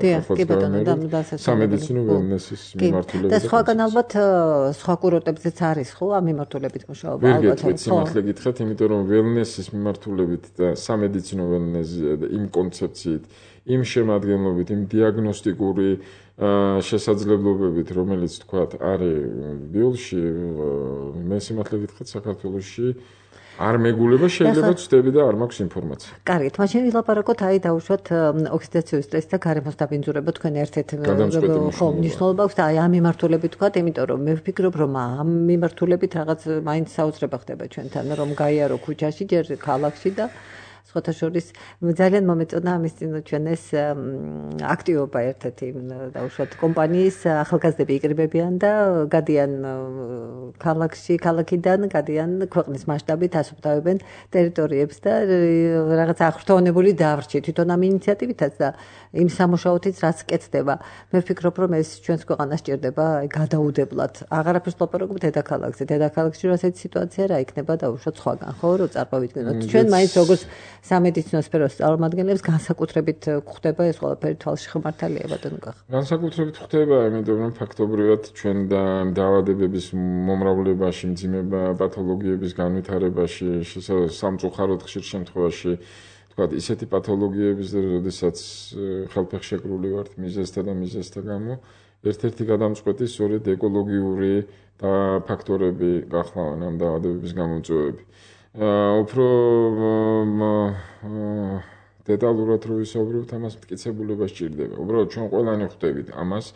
სამედიცინო ველნესის მიმართულებით
და სხვაგან ალბათ სხვა კურორტებზეც არის ხო ამ მიმართულებით მუშაობა
ალბათ სიმართლე გითხრათ იმიტომ რომ ველნესის მიმართულებით და სამედიცინო ველნესი იმ კონცეფციით იმ შემადგენლობით იმ დიაგნოსტიკური შესაძლებლობებით რომელიც თქვათ არის ბიოლში მე სიმართლე გითხრათ საქართველოში არ მეგულება შეიძლება ვწდები და არ მაქვს ინფორმაცია.
კარგით, მაშინ ვილაპარაკოთ აი დაუშვათ ოქსიდაციური სტრესი და გარემოს დაბინძურება თქვენ ერთ-ერთ ხო მნიშვნელობა აქვს და აი ამ მიმართულებით თქვათ, იმიტომ რომ მე ვფიქრობ რომ ამ მიმართულებით რაღაც მაინც საოცრება ხდება ჩვენთან რომ გაიარო ქუჩაში ჯერ ქალაქში და სხვათა შორის ძალიან მომეწონა ამის წინ ჩვენ ეს აქტივობა ერთ-ერთი დაუშვათ კომპანიის ახალგაზრდები იკრიბებიან და გადიან ქალაქიდან გადიან ქვეყნის მასშტაბით ასუფთავებენ ტერიტორიებს და რაღაც ახრთოვანებული დავრჩი თვითონ ამ ინიციატივითაც და იმ სამუშაოთიც რაც კეთდება მე ვფიქრობ რომ ეს ჩვენს ქვეყანას სჭირდება გადაუდებლად აღარაფერს ლაპარაკობთ დედაქალაქში ასეთი სიტუაცია რა იქნება დაუშვათ სხვაგან ხო რომ წარმოვიდგინოთ ჩვენ მაინც როგორც სამედიცინო სფეროს წარმომადგენლებს განსაკუთრებით ხდება ეს ყველაფერი თვალში ხმართალია ბატონო კახა.
განსაკუთრებით ხდება, იმიტომ რომ ფაქტობრივად ჩვენ და დაავადებების მომრავლებაში, მძიმე პათოლოგიების განვითარებაში, სამწუხაროდ ხშირ შემთხვევაში, თქვათ, ისეთი პათოლოგიების, როდესაც ხელფეხშეკრული ვართ მიზეზთა გამო, ერთ-ერთი გადამწყვეტი სწორედ ეკოლოგიური ფაქტორები გახლავენ ამ დაავადებების გამომწვევები. უფრო დეტალურად რო ვისაუბრებთ, ამას მტკიცებულება სჭირდება. უბრალოდ ჩვენ ყველანი ხვდებით ამას,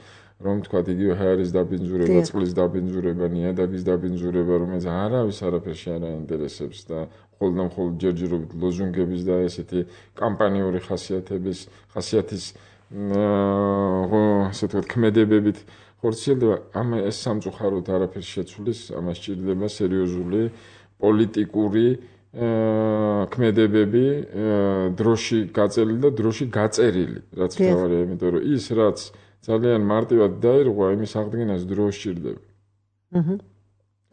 რომ თქვა იგივე ჰაერის დაბინძურება, წყლის დაბინძურება, ნიადაგის დაბინძურება, რომელიც არავის არაფერში არ აინტერესებს და მხოლოდ ჯერჯერობით ლოზუნგების და ესეთი კამპანიური ხასიათის ასე თქვა ქმედებებით ხორციელდება. ეს სამწუხაროდ არაფერს შეცვლის, ამას სჭირდება სერიოზული პოლიტიკური ქმედებები დროში გაწეული და დროში გაწერილი რაც თავარია იმიტომ რომ ის რაც ძალიან მარტივად დაირღვა იმის აღდგენას დრო სჭირდება.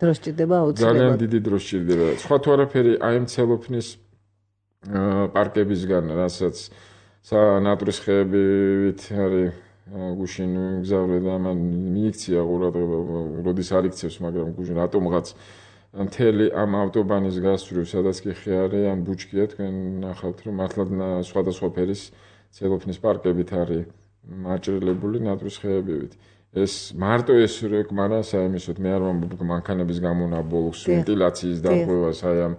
დრო სჭირდება აუცილებლად.
ძალიან დიდი დრო სჭირდება. სხვა თუ არაფერი აი ამ ცელოფნის პარკებისგან რასაც ნატურის ხეებით არის გუშინ გზავრე და მან მიიქცია ყურადღება, როდის არ იქცევს, მაგრამ გუშინ რატომღაც მთელი ამ ავტობანის გასწვრივ, სადაც კი ხე ან ბუჩქია, თქვენ ნახავთ, რომ მართლა სხვადასხვა ფერის ცელოფნის პარკებით არის მაჭრილებული ნატრის ხეებივით. ეს მარტო ეს რეკმარა საერთოდ მე არ ვამბობ მანქანების გამონაბოლოს, ვენტილაციის დარღვევას აი ამ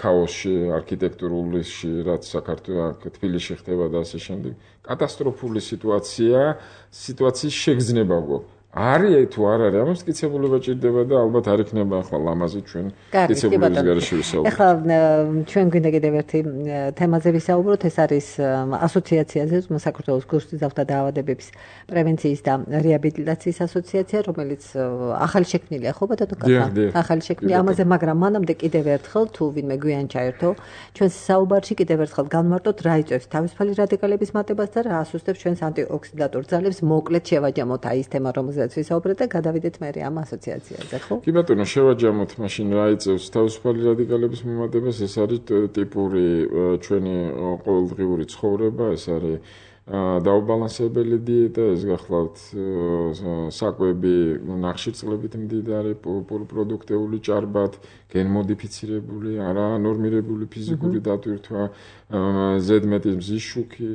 ქაოსში, არქიტექტურულში, რაც საქართველოს თბილისში ხდება და ასე შემდეგ. კატასტროფული სიტუაციის შეგრძნება გვაქვს. არის თუ არ არის, ამას მტკიცებულება ჭირდება და ალბათ არ იქნება ახლა ლამაზი ჩვენ მტკიცებულების გარეშე ვისაუბროთ.
ახლა ჩვენ გვინდა კიდევ ერთი თემაზე ვისაუბროთ, ეს არის ასოციაციაზე, საქართველოს გულსუძრავთა დაავადებების პრევენციის და რეაბილიტაციის ასოციაცია, რომელიც ახალი შექმნილია, ხო ბატონო კახა? ახალი შექმნილია ამაზე, მაგრამ მანამდე კიდევ ერთხელ თუ ვინმე გვიან ჩაერთო, ჩვენს საუბარში კიდევ ერთხელ განმარტოთ რა იწვევს თავისუფალი რადიკალების მატებას და რა ასუსტებს ჩვენს ანტიოქსიდანტურ ძალებს, მოკლედ შევაჯამოთ აი ეს თემა, რომელზეც ვისაუბრეთ და გადავიდეთ მე ამ ასოციაციაზე, ხო?
კი ბატონო, შევაჯამოთ მაშინ რა იწევს თავისუფალი რადიკალების მომატებას, ეს არის ტიპური ჩვენი ყოველდღიური ცხოვრება, ეს არის დაუბალანსებელი დიეტა, ეს გახლავთ საკვები ნახშირწყლებით მდიდარი, პოლიპროდუქტეული ჭარბად, გენმოდიფიცირებული, არანორმირებული ფიზიკური დატვირთვა, ზედმეტი მზის შუქი,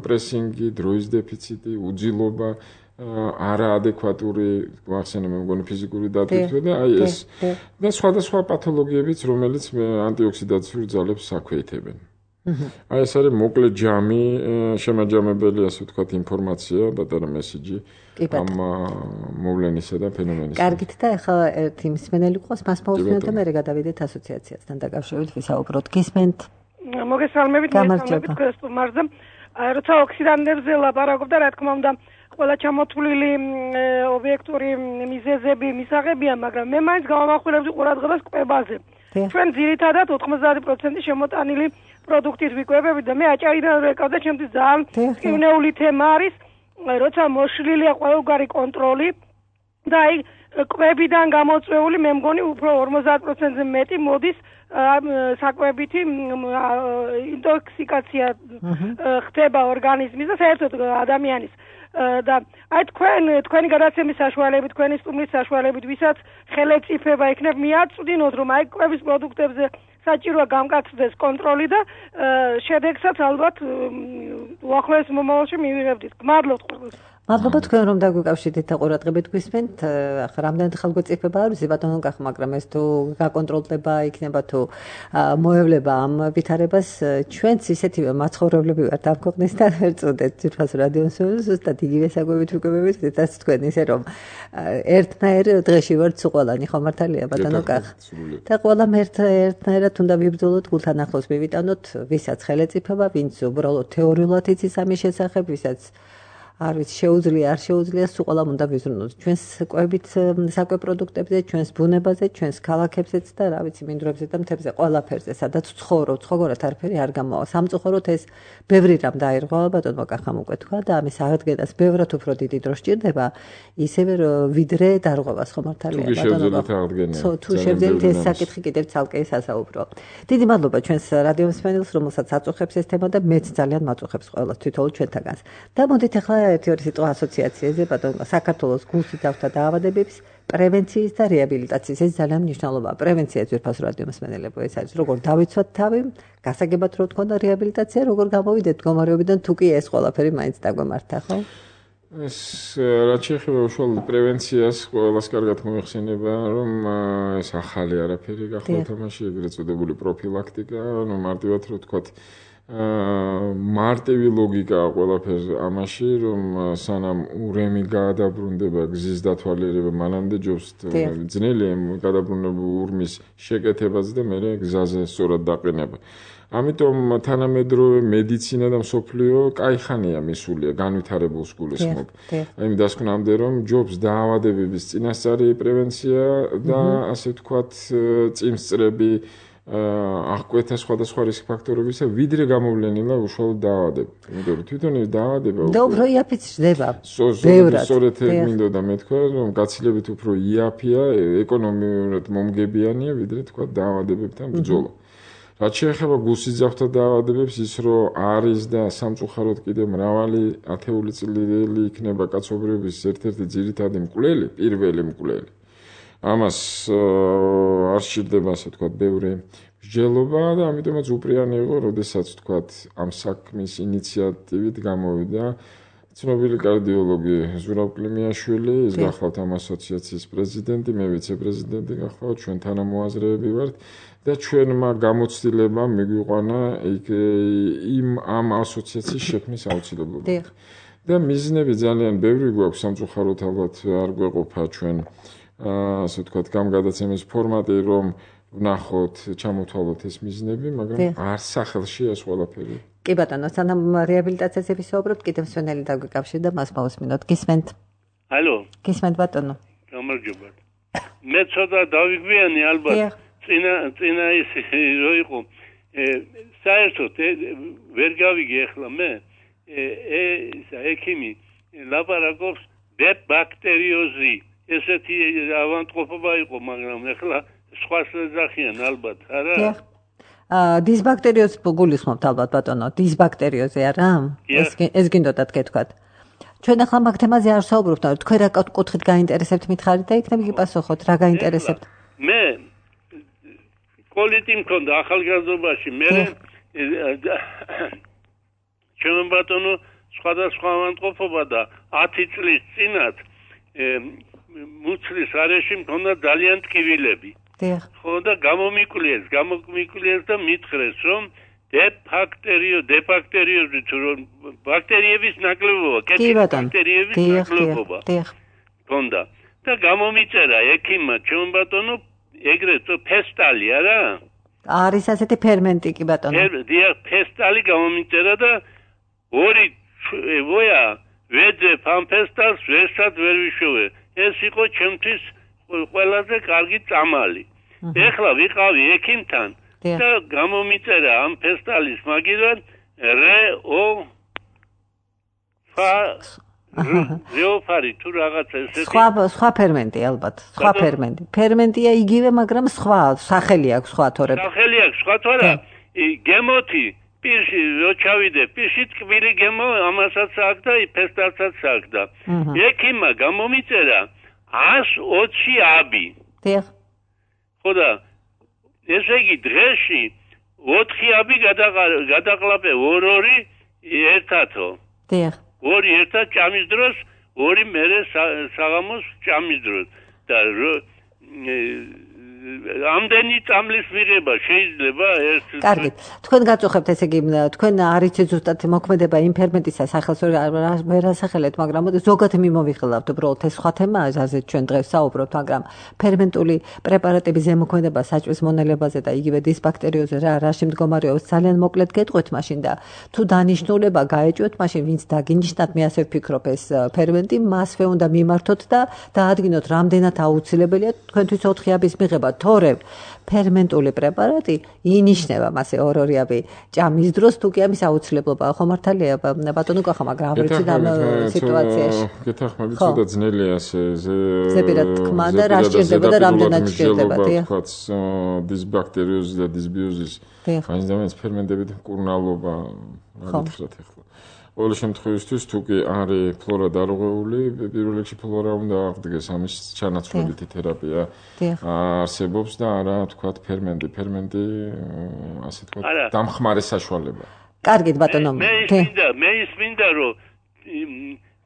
პრესინგი, დროის დეფიციტი, უძილობა, არაადეკვატური ვახსენე მე მგონი ფიზიკური დატვირთვა და აი ეს და სხვადასხვა პათოლოგიებიც, რომელიც ანტიოქსიდაციურ ძალებს აქვეითებენ. აი ეს არის მოკლე ჯამი, შემაჯამებელი, ასე ვთქვათ, ინფორმაცია, პატარა მესიჯი ამ მოვლენისა და ფენომენისა.
კარგით და ახლა ერთი მსმენელი ყავს, მას მოვსმენთ და მე გადავიდეთ ასოციაციასთან დაკავშირებით ვისაუბროთ. გისმენთ?
მოგესალმებით, თქვენ სტუმარზე. როცა ოქსიდანტებზე ლაპარაკობ და რა თქმა უნდა ყველა ჩამოთვლილი ობიექტური მიზეზები მისაღებია, მაგრამ მე მაინც გავამახვილებდი ყურადღებას კვებაზე. ჩვენ ძირითადად 90% შემოტანილი პროდუქტით ვიკვებებით და მე აჭარიდან ვეკავ და ჩემთვის ძალიან მტკივნეული თემა არის, როცა მოშლილია ყველგარი კონტროლი და აი კვებიდან გამოწვეული მე მგონი უფრო 50%-ზე მეტი მოდის საკვებითი ინტოქსიკაცია ხდება ორგანიზმის და საერთოდ ადამიანის და აი თქვენი გადაცემის საშუალებით, თქვენი სტუმრის საშუალებით, ვისაც ხელეწიფება იქნებ მიაწვდინოთ, რომ აი კვების პროდუქტებზე საჭიროა გამკაცდეს კონტროლი და შედეგსაც ალბათ უახლოეს მომავალში მივიღებდით. გმადლობთ ყველას.
მადლობა თქვენ რომ დაგვიკავშირდით და ყურადღებით გვისმენთ. ახლა რამდენად ხელგოწიფება არის ბატონო კახ, მაგრამ ეს თუ გაკონტროლდება იქნება თუ მოევლება ამ ვითარებას, ჩვენც ისეთივე მაცხოვრებლები ვართ ამ ქვეყნის და ვერ წოდეთ ძირფას რადიოს ზუსტად იგივე საკვებით ვიკვებებით, რაც თქვენ ისე რომ ერთნაირ დღეში ვართ სუყოლანი, ხო მართალია ბატონო კახ? და ყველამ ერთნაირად უნდა ვიბრძოლოთ, გულთან ახლოს მივიტანოთ, ვისაც ხელეწიფება, ვინც უბრალოდ თეორიულად იცის ამის შესახებ, ვისაც არ ვიცი შეუძლია არ შეუძლია სულ უნდა ვიზრუნოთ ჩვენს კვებით საკვე პროდუქტებზე, ჩვენს ბუნებაზე, ჩვენს ქალაქებზეც და რა ვიცი მინდვრებზე და მთებზე, ყველაფერზე, სადაც ცხოვრობ, ცხოვრობ არაფერი არ გამოვა. სამწუხაროდ ეს ბევრი რამ დაირღვა, ბატონო კახამ უკვე თქვა და ამის აღდგენას ბევრად უფრო დიდი დრო სჭირდება, ისევე ვიდრე დარღვევას, ხო მართალია
ბატონო?
თუ შევძელთ ეს საკითხი კიდევ ცალკე სასაუბრო. დიდი მადლობა ჩვენს რადიო მსმენელს, რომელსაც აწუხებს ეს თემა და მეც ძალიან მაწუხებს ყველას თვითონ ჩვენთაგანს. და მოდით ახლა ერთი სიტყვა ასოციაციაზე, ბატონო, საქართველოს გულსუძრავთა დაავადებების პრევენციის და რეაბილიტაციის, ეს ძალიან მნიშვნელოვანია. პრევენცია ძვირფას რადიო მსმენელებო, ეს არის როგორ დავიცვათ თავი, გასაგებად რო თქონდა რეაბილიტაცია, როგორ გამოვიდეთ მდგომარეობიდან, თუ კი ეს ყველაფერი მაინც დაგვემართა, ხო?
ეს რაც შეეხება უშუალოდ პრევენციას, ყველას კარგად მოიხსენება, რომ ეს ახალი არაფერი გახლავთ ამაში, ეგრეთ წოდებული პროფილაქტიკა, ანუ მარტივად რო თქვათ მარტივი ლოგიკა ყველაფერს ამაში, რომ სანამ ურემი გაადაბრუნდება გზის დათვალიერება, მანამდე ჯობს ძნელი გადაბრუნებული ურმის შეკეთებაც და მე გზაზე სწორად დაყენება. ამიტომ თანამედროვე მედიცინა და მსოფლიო კაიხანია მისულია, განვითარებულს გულისხმობ. აი დასკვნამდე რომ ჯობს დაავადებების წინასწარი პრევენცია და ასე ვთქვათ წინსწრები აღკვეთა სხვადასხვა რისკ ფაქტორებისა, ვიდრე გამოვლენილა უშუალოდ დაავადება. იმიტომ რომ თვითონ დაავადება
და უფრო იაფიც ხდება.
სწორედ მინდოდა მეთქვა, რომ გაცილებით უფრო იაფია, ეკონომიურად მომგებიანია, ვიდრე თქვა დაავადებებთან ბრძოლა. რაც შეეხება გულსიძახთა დაავადებებს, ის რომ არის და სამწუხაროდ კიდევ მრავალი ათეული წლილი იქნება კაცობრიობის ერთ-ერთი ძირითადი მკვლელი, პირველი მკვლელი. ამას არ სჭირდება, ასე ვთქვათ, ბევრი მსჯელობა და ამიტომაც უპრიანი იყო, როდესაც ვთქვათ, ამ საქმის ინიციატივით გამოვიდა ცნობილი კარდიოლოგი ზურაბ კლიმიაშვილი, ის გახლავთ ამ ასოციაციის პრეზიდენტი, მე ვიცე-პრეზიდენტი გახლავთ, ჩვენ თანამოაზრეები ვართ და ჩვენმა გამოცდილებამ მიგვიყვანა ამ ასოციაციის შექმნის აუცილებლობა. და მიზნები ძალიან ბევრი გვაქვს, სამწუხაროდ ალბათ არ გვეყოფა ჩვენ ასე ვთქვათ, გამგადაცემის ფორმატი, რომ ვნახოთ, ჩამოთვალოთ ეს მიზნები, მაგრამ არ სახელში ეს ყველაფერი.
კი ბატონო, სანამ რეაბილიტაციაზე ვისაუბრებთ, კიდევ სვენელი დაგვიკავშირდა, მას მოვუსმინოთ. გისმენთ?
ალო.
გისმენთ ბატონო.
გამარჯობა. მე ცოტა დავიგვიანი ალბათ. წინა ის რო იყო. საერთოდ ვერ გავიგე ახლა მე. ექიმი ლაპარაკობს ბაქტერიოზი. ესეთი ავანტყოფობა იყო, მაგრამ ახლა სხვა შეძახიან ალბათ, არა?
დისბაქტერიოზი გულისხმობთ ალბათ ბატონო, დისბაქტერიოზი არა? ეს გინდოდათ გეთქვათ. ჩვენ ახლა მაგ თემაზე არ საუბრობთ, თქვენ რა კუთხით გაინტერესებთ მითხარით და იქნებ გიპასუხოთ, რა გაინტერესებთ?
მე კოლიტი მქონდა ახალგაზრდობაში, მე ჩვენ ბატონო სხვადასხვა ავანტყოფობა და 10 წლის წინათ მუცლის არეში მქონდა ძალიან ტკივილები. ხო და გამომიკვლიეს და მითხრეს, რომ დეფაქტერიოზი თუ რომ ბაქტერიების ნაკლებობა, კეთილი ბაქტერიების ნაკლებობა მქონდა. და გამომიწერა ექიმმა ჩვენ ბატონო ეგრეთ ფესტალი, არა?
არის ასეთი ფერმენტი კი ბატონო.
ფესტალი გამომიწერა და ორი ვოია ვეძებ ამ ფესტალს ვერსად ვერ ვიშოვე. ეს იყო ჩემთვის ყველაზე კარგი წამალი. ეხლა ვიყავი ექიმთან და გამომიწერა ამ ფესტალის მაგიდან რეოფარი თუ რაღაცა ესეთი.
სხვა ფერმენტი ალბათ, სხვა ფერმენტი. ფერმენტია იგივე, მაგრამ სხვა სახელი აქვს, სხვა თორე.
სახელი აქვს, სხვა თორე. გემოთი პირში რო ჩავიდე, პირში ტკბილი გემო ამასაც აქვს და ფესტალსაც აქვს და ექიმმა გამომიწერა 120 აბი.
დიახ.
ხო და ესე იგი დღეში 4 აბი გადაყლაპე 2 ერთათო.
დიახ.
2 ერთად ჭამის დროს, 2 მერე საღამოს ჭამის დროს და ამდენი წამლის მიღება შეიძლება ერთ.
კარგით. თქვენ გაწუხებთ, ესე იგი, თქვენ არ იცით ზუსტად მოქმედება იმ ფერმენტისა სახელს ვერ ასახელეთ, მაგრამ ზოგადად მიმოვიხილავთ, უბრალოდ ეს სხვა თემაა, აზრით ჩვენ დღეს საუბრობთ, მაგრამ ფერმენტული პრეპარატების ზემოქმედება საჭმლის მონელებაზე და იგივე დისბაქტერიოზზე რაში მდგომარეობს, ძალიან მოკლედ გეტყვით მაშინ და თუ დანიშნულება გაეჭვეთ, მაშინ ვინც დაგინიშნათ, მე ასე ვფიქრობ, ეს ფერმენტი მასვე უნდა მიმართოთ და დაადგინოთ, რამდენად აუცილებელია თქვენთვის 4 აბის მიღება. თორე ფერმენტული პრეპარატი ინიშნება მასე 2 აბი ჭამის დროს თუ კი ამის აუცილებლობაა, ხო მართალია ბატონო კახა, მაგრამ არ ვიცი ამ სიტუაციაში.
გეთახმებით, ცოტა ძნელია ასე
ზეპირად თქმა და რა სჭირდება და რამდენად სჭირდება, დიახ.
დისბაქტერიოზი და დისბიოზის განსხვავების ფერმენტებით მკურნალობა, მაგითხრათ ახლა. ყოველ შემთხვევაში თუ კი არის ფლორა დარღვეული, პირველ რიგში ფლორა უნდა აღდგეს, ამის ჩანაცვლებითი თერაპია არსებობს და არა თქვათ ფერმენტი, ასე თქვათ დამხმარე საშუალება.
კარგით ბატონო.
მე ისმინდა რომ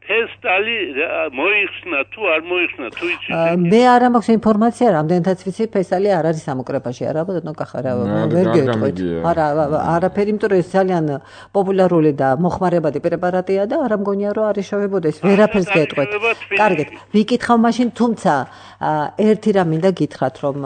ფესტალი მოიხსნა თუ არ მოიხსნა თუ იცით.
მე არ მაქვს ინფორმაცია, რამდენადაც ვიცი, ფესტალი არ არის სამოკრეფაში, არა ბატონო კახა, ვერ გეტყვით. არაფერი, იმიტომ რომ ეს ძალიან პოპულარული და მოხმარებადი პრეპარატია და არ მგონია რომ არის შევებოდეს, ვერაფერს გეტყვით. კარგით, ვიკითხავ მაშინ, თუმცა ერთი რამ მინდა გითხრათ, რომ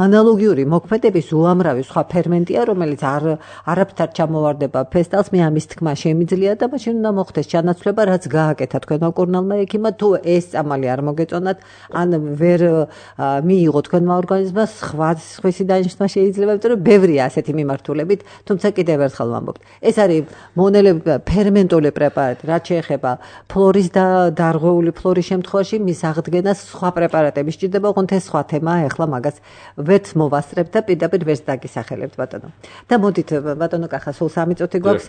ანალოგიური მოქმედების უამრავი სხვა ფერმენტია, რომელიც არაფრთან ჩამოვარდება ფესტალს, მე ამის თქმა შემიძლია და მაშინ უნდა მოხდეს ჩანაცვლება, რაც გააკეთა თქვენმა მკურნალმა ექიმმა, თუ ეს წამალი არ მოგეწონათ, ან ვერ მიიღო თქვენმა ორგანიზმმა, სხვისი დანიშნვა შეიძლება, იმიტომ რომ ბევრია ასეთი მიმართულებით, თუმცა კიდევ ერთხელ ვამბობთ. ეს არის მონელები ფერმენტული პრეპარატი, რაც შეეხება ფლორის და დარღვეული ფლორის შემთხვევაში, მის აღდგენას სხვა პრეპარატები სჭირდება, ოღონდ ეს სხვა თემაა, ეხლა მაგას ვერც მოვასწრებთ და პირდაპირ ვერც დაგისახელებთ, ბატონო. და მოდით, ბატონო კახა, სულ 3 წუთი გვაქვს,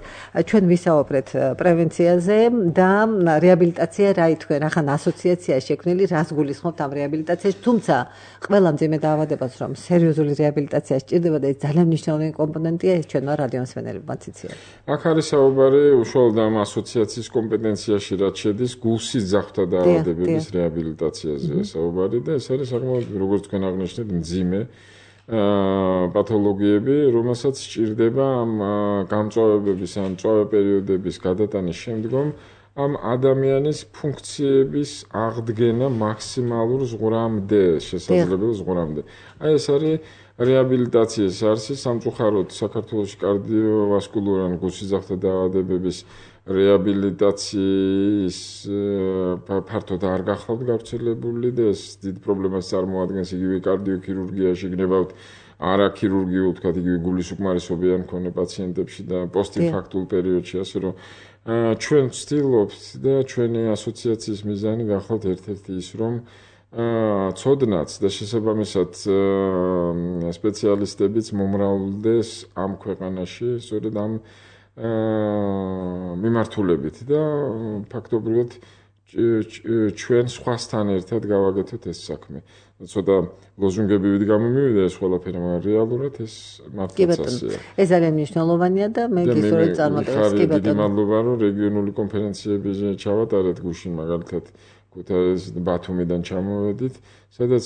ჩვენ ვისაუბრეთ პრევენციაზე და რეაბილიტაცია რა თქვენ, ახლა ასოციაცია შექმნილი, რას გულისხმობთ ამ რეაბილიტაციაში, თუმცა ყველა მძიმე დაავადებას რომ სერიოზული რეაბილიტაცია სჭირდება და ეს ძალიან მნიშვნელოვანი კომპონენტია, ეს ჩვენმა რადიომსმენელებმა ციცია.
აქ არის საუბარი უშუალოდ ამ ასოციაციის კომპეტენციაში, რაც შედის გულსიძახთა დაავადებების რეაბილიტაციაზე საუბარი და ეს არის საკმაოდ, როგორც თქვენ აღნიშნეთ, მძიმე პათოლოგიები, რომელსაც სჭირდება ამ გამწვავებების ან მწვავე პერიოდების გადატანის შემდგომ ამ ადამიანის ფუნქციების აღდგენა მაქსიმალურ ზღვრამდე, შესაძლებელ ზღვრამდე. აი ეს არის რეაბილიტაციის არსი სამწუხაროდ საქართველოში კარდიოვასკულური ან გულსიძახთა დაავადებების რეაბილიტაციის ფართოდ არ გახლავთ გავრცელებული და ეს დიდ პრობლემას წარმოადგენს იგივე კარდიოქირურგიაში, გნებავთ არაქირურგიულ, თქვათ იგივე გულის უკმარისობიან მქონე პაციენტებში და პოსტინფარქტულ პერიოდში, ასე რომ ჩვენ ვცდილობთ და ჩვენი ასოციაციის მიზანი გახლავთ ერთ-ერთი ის, რომ ცოდნაც და შესაბამისად სპეციალისტებიც მომრავლდეს ამ ქვეყანაში, სწორედ ამ მიმართულებით და ფაქტობრივად ჩვენ სხვასთან ერთად გავაკეთოთ ეს საქმე. ცოტა ლოზუნგებივით გამომივიდა ეს ყველაფერი, მაგრამ რეალურად ეს მართლაც ასეა.
ეს ძალიან მნიშვნელოვანია და მე გისურვებ წარმატებას. კი
ბატონო. დიდი მადლობა, რომ რეგიონული კონფერენციები ჩავატარეთ გუშინ მაგალითად ქუთაისის ბათუმიდან ჩამოვედით, სადაც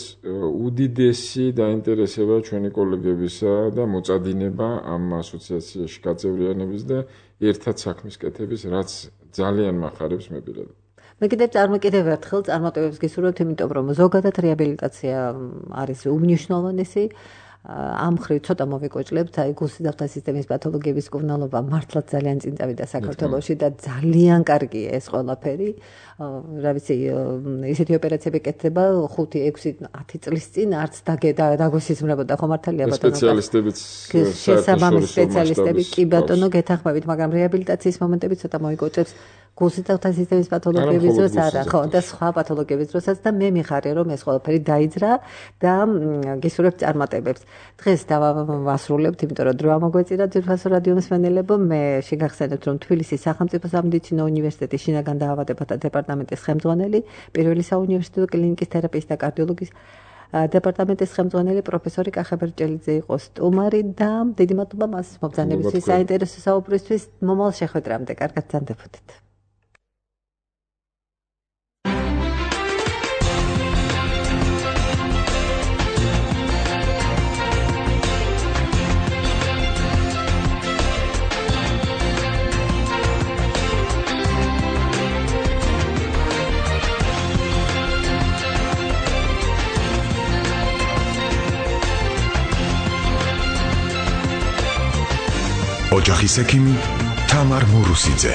უდიდესი დაინტერესება ჩვენი კოლეგებისა და მოწადინება ამ ასოციაციაში გაწევრიანების და ერთად საქმის კეთების, რაც ძალიან მახარებს მე პირადად.
მე კიდევ ერთხელ წარმატებებს გისურვებთ, იმიტომ რომ ზოგადად რეაბილიტაცია არის უმნიშვნელოვანესი. ამ ხრივ ცოტა მოვიკვეჭლებთ, აი გულსიძახთა სისტემის პათოლოგიების მკურნალობა მართლაც ძალიან წინ წავიდა საქართველოში და ძალიან კარგია ეს ყველაფერი. რა ვიცი, ისეთი ოპერაციები კეთდება 5-6-10 წლის წინ, არც დაგვესიზმრებოდა ხო მართალია ბატონო?
სპეციალისტებიც
შესაბამისი სპეციალისტები კი ბატონო გეთანხმებით, მაგრამ რეაბილიტაციის მომენტები ცოტა მოვიკვეჭებს გულსიძახთა სისტემის პათოლოგიების დროს არა, ხო, და სხვა პათოლოგიების დროსაც და მე მიხარია რომ ეს ყველაფერი დაიძრა და გისურვებთ წარმატებებს. დღეს დავასრულებთ, იმიტომ რომ დრო ამოგვეწირა ძვირფასო რადიომსმენელებო, მე შეგახსენებთ რომ თბილისის სახელმწიფო სამედიცინო უნივერსიტეტის შინაგან დაავადებათა დეპარტამენტის ხელმძღვანელი, პირველი საუნივერსიტეტო კლინიკის თერაპიის და კარდიოლოგიის დეპარტამენტის ხელმძღვანელი პროფესორი კახა ბერჭელიძე იყო სტუმარი და დიდი მადლობა მას მობრძანებისთვის, საინტერესო საუბრისთვის. მომავალ შეხვედრამდე კარგად ბრძანდებოდეთ.
ოჯახის ექიმი თამარ მურუსიძე.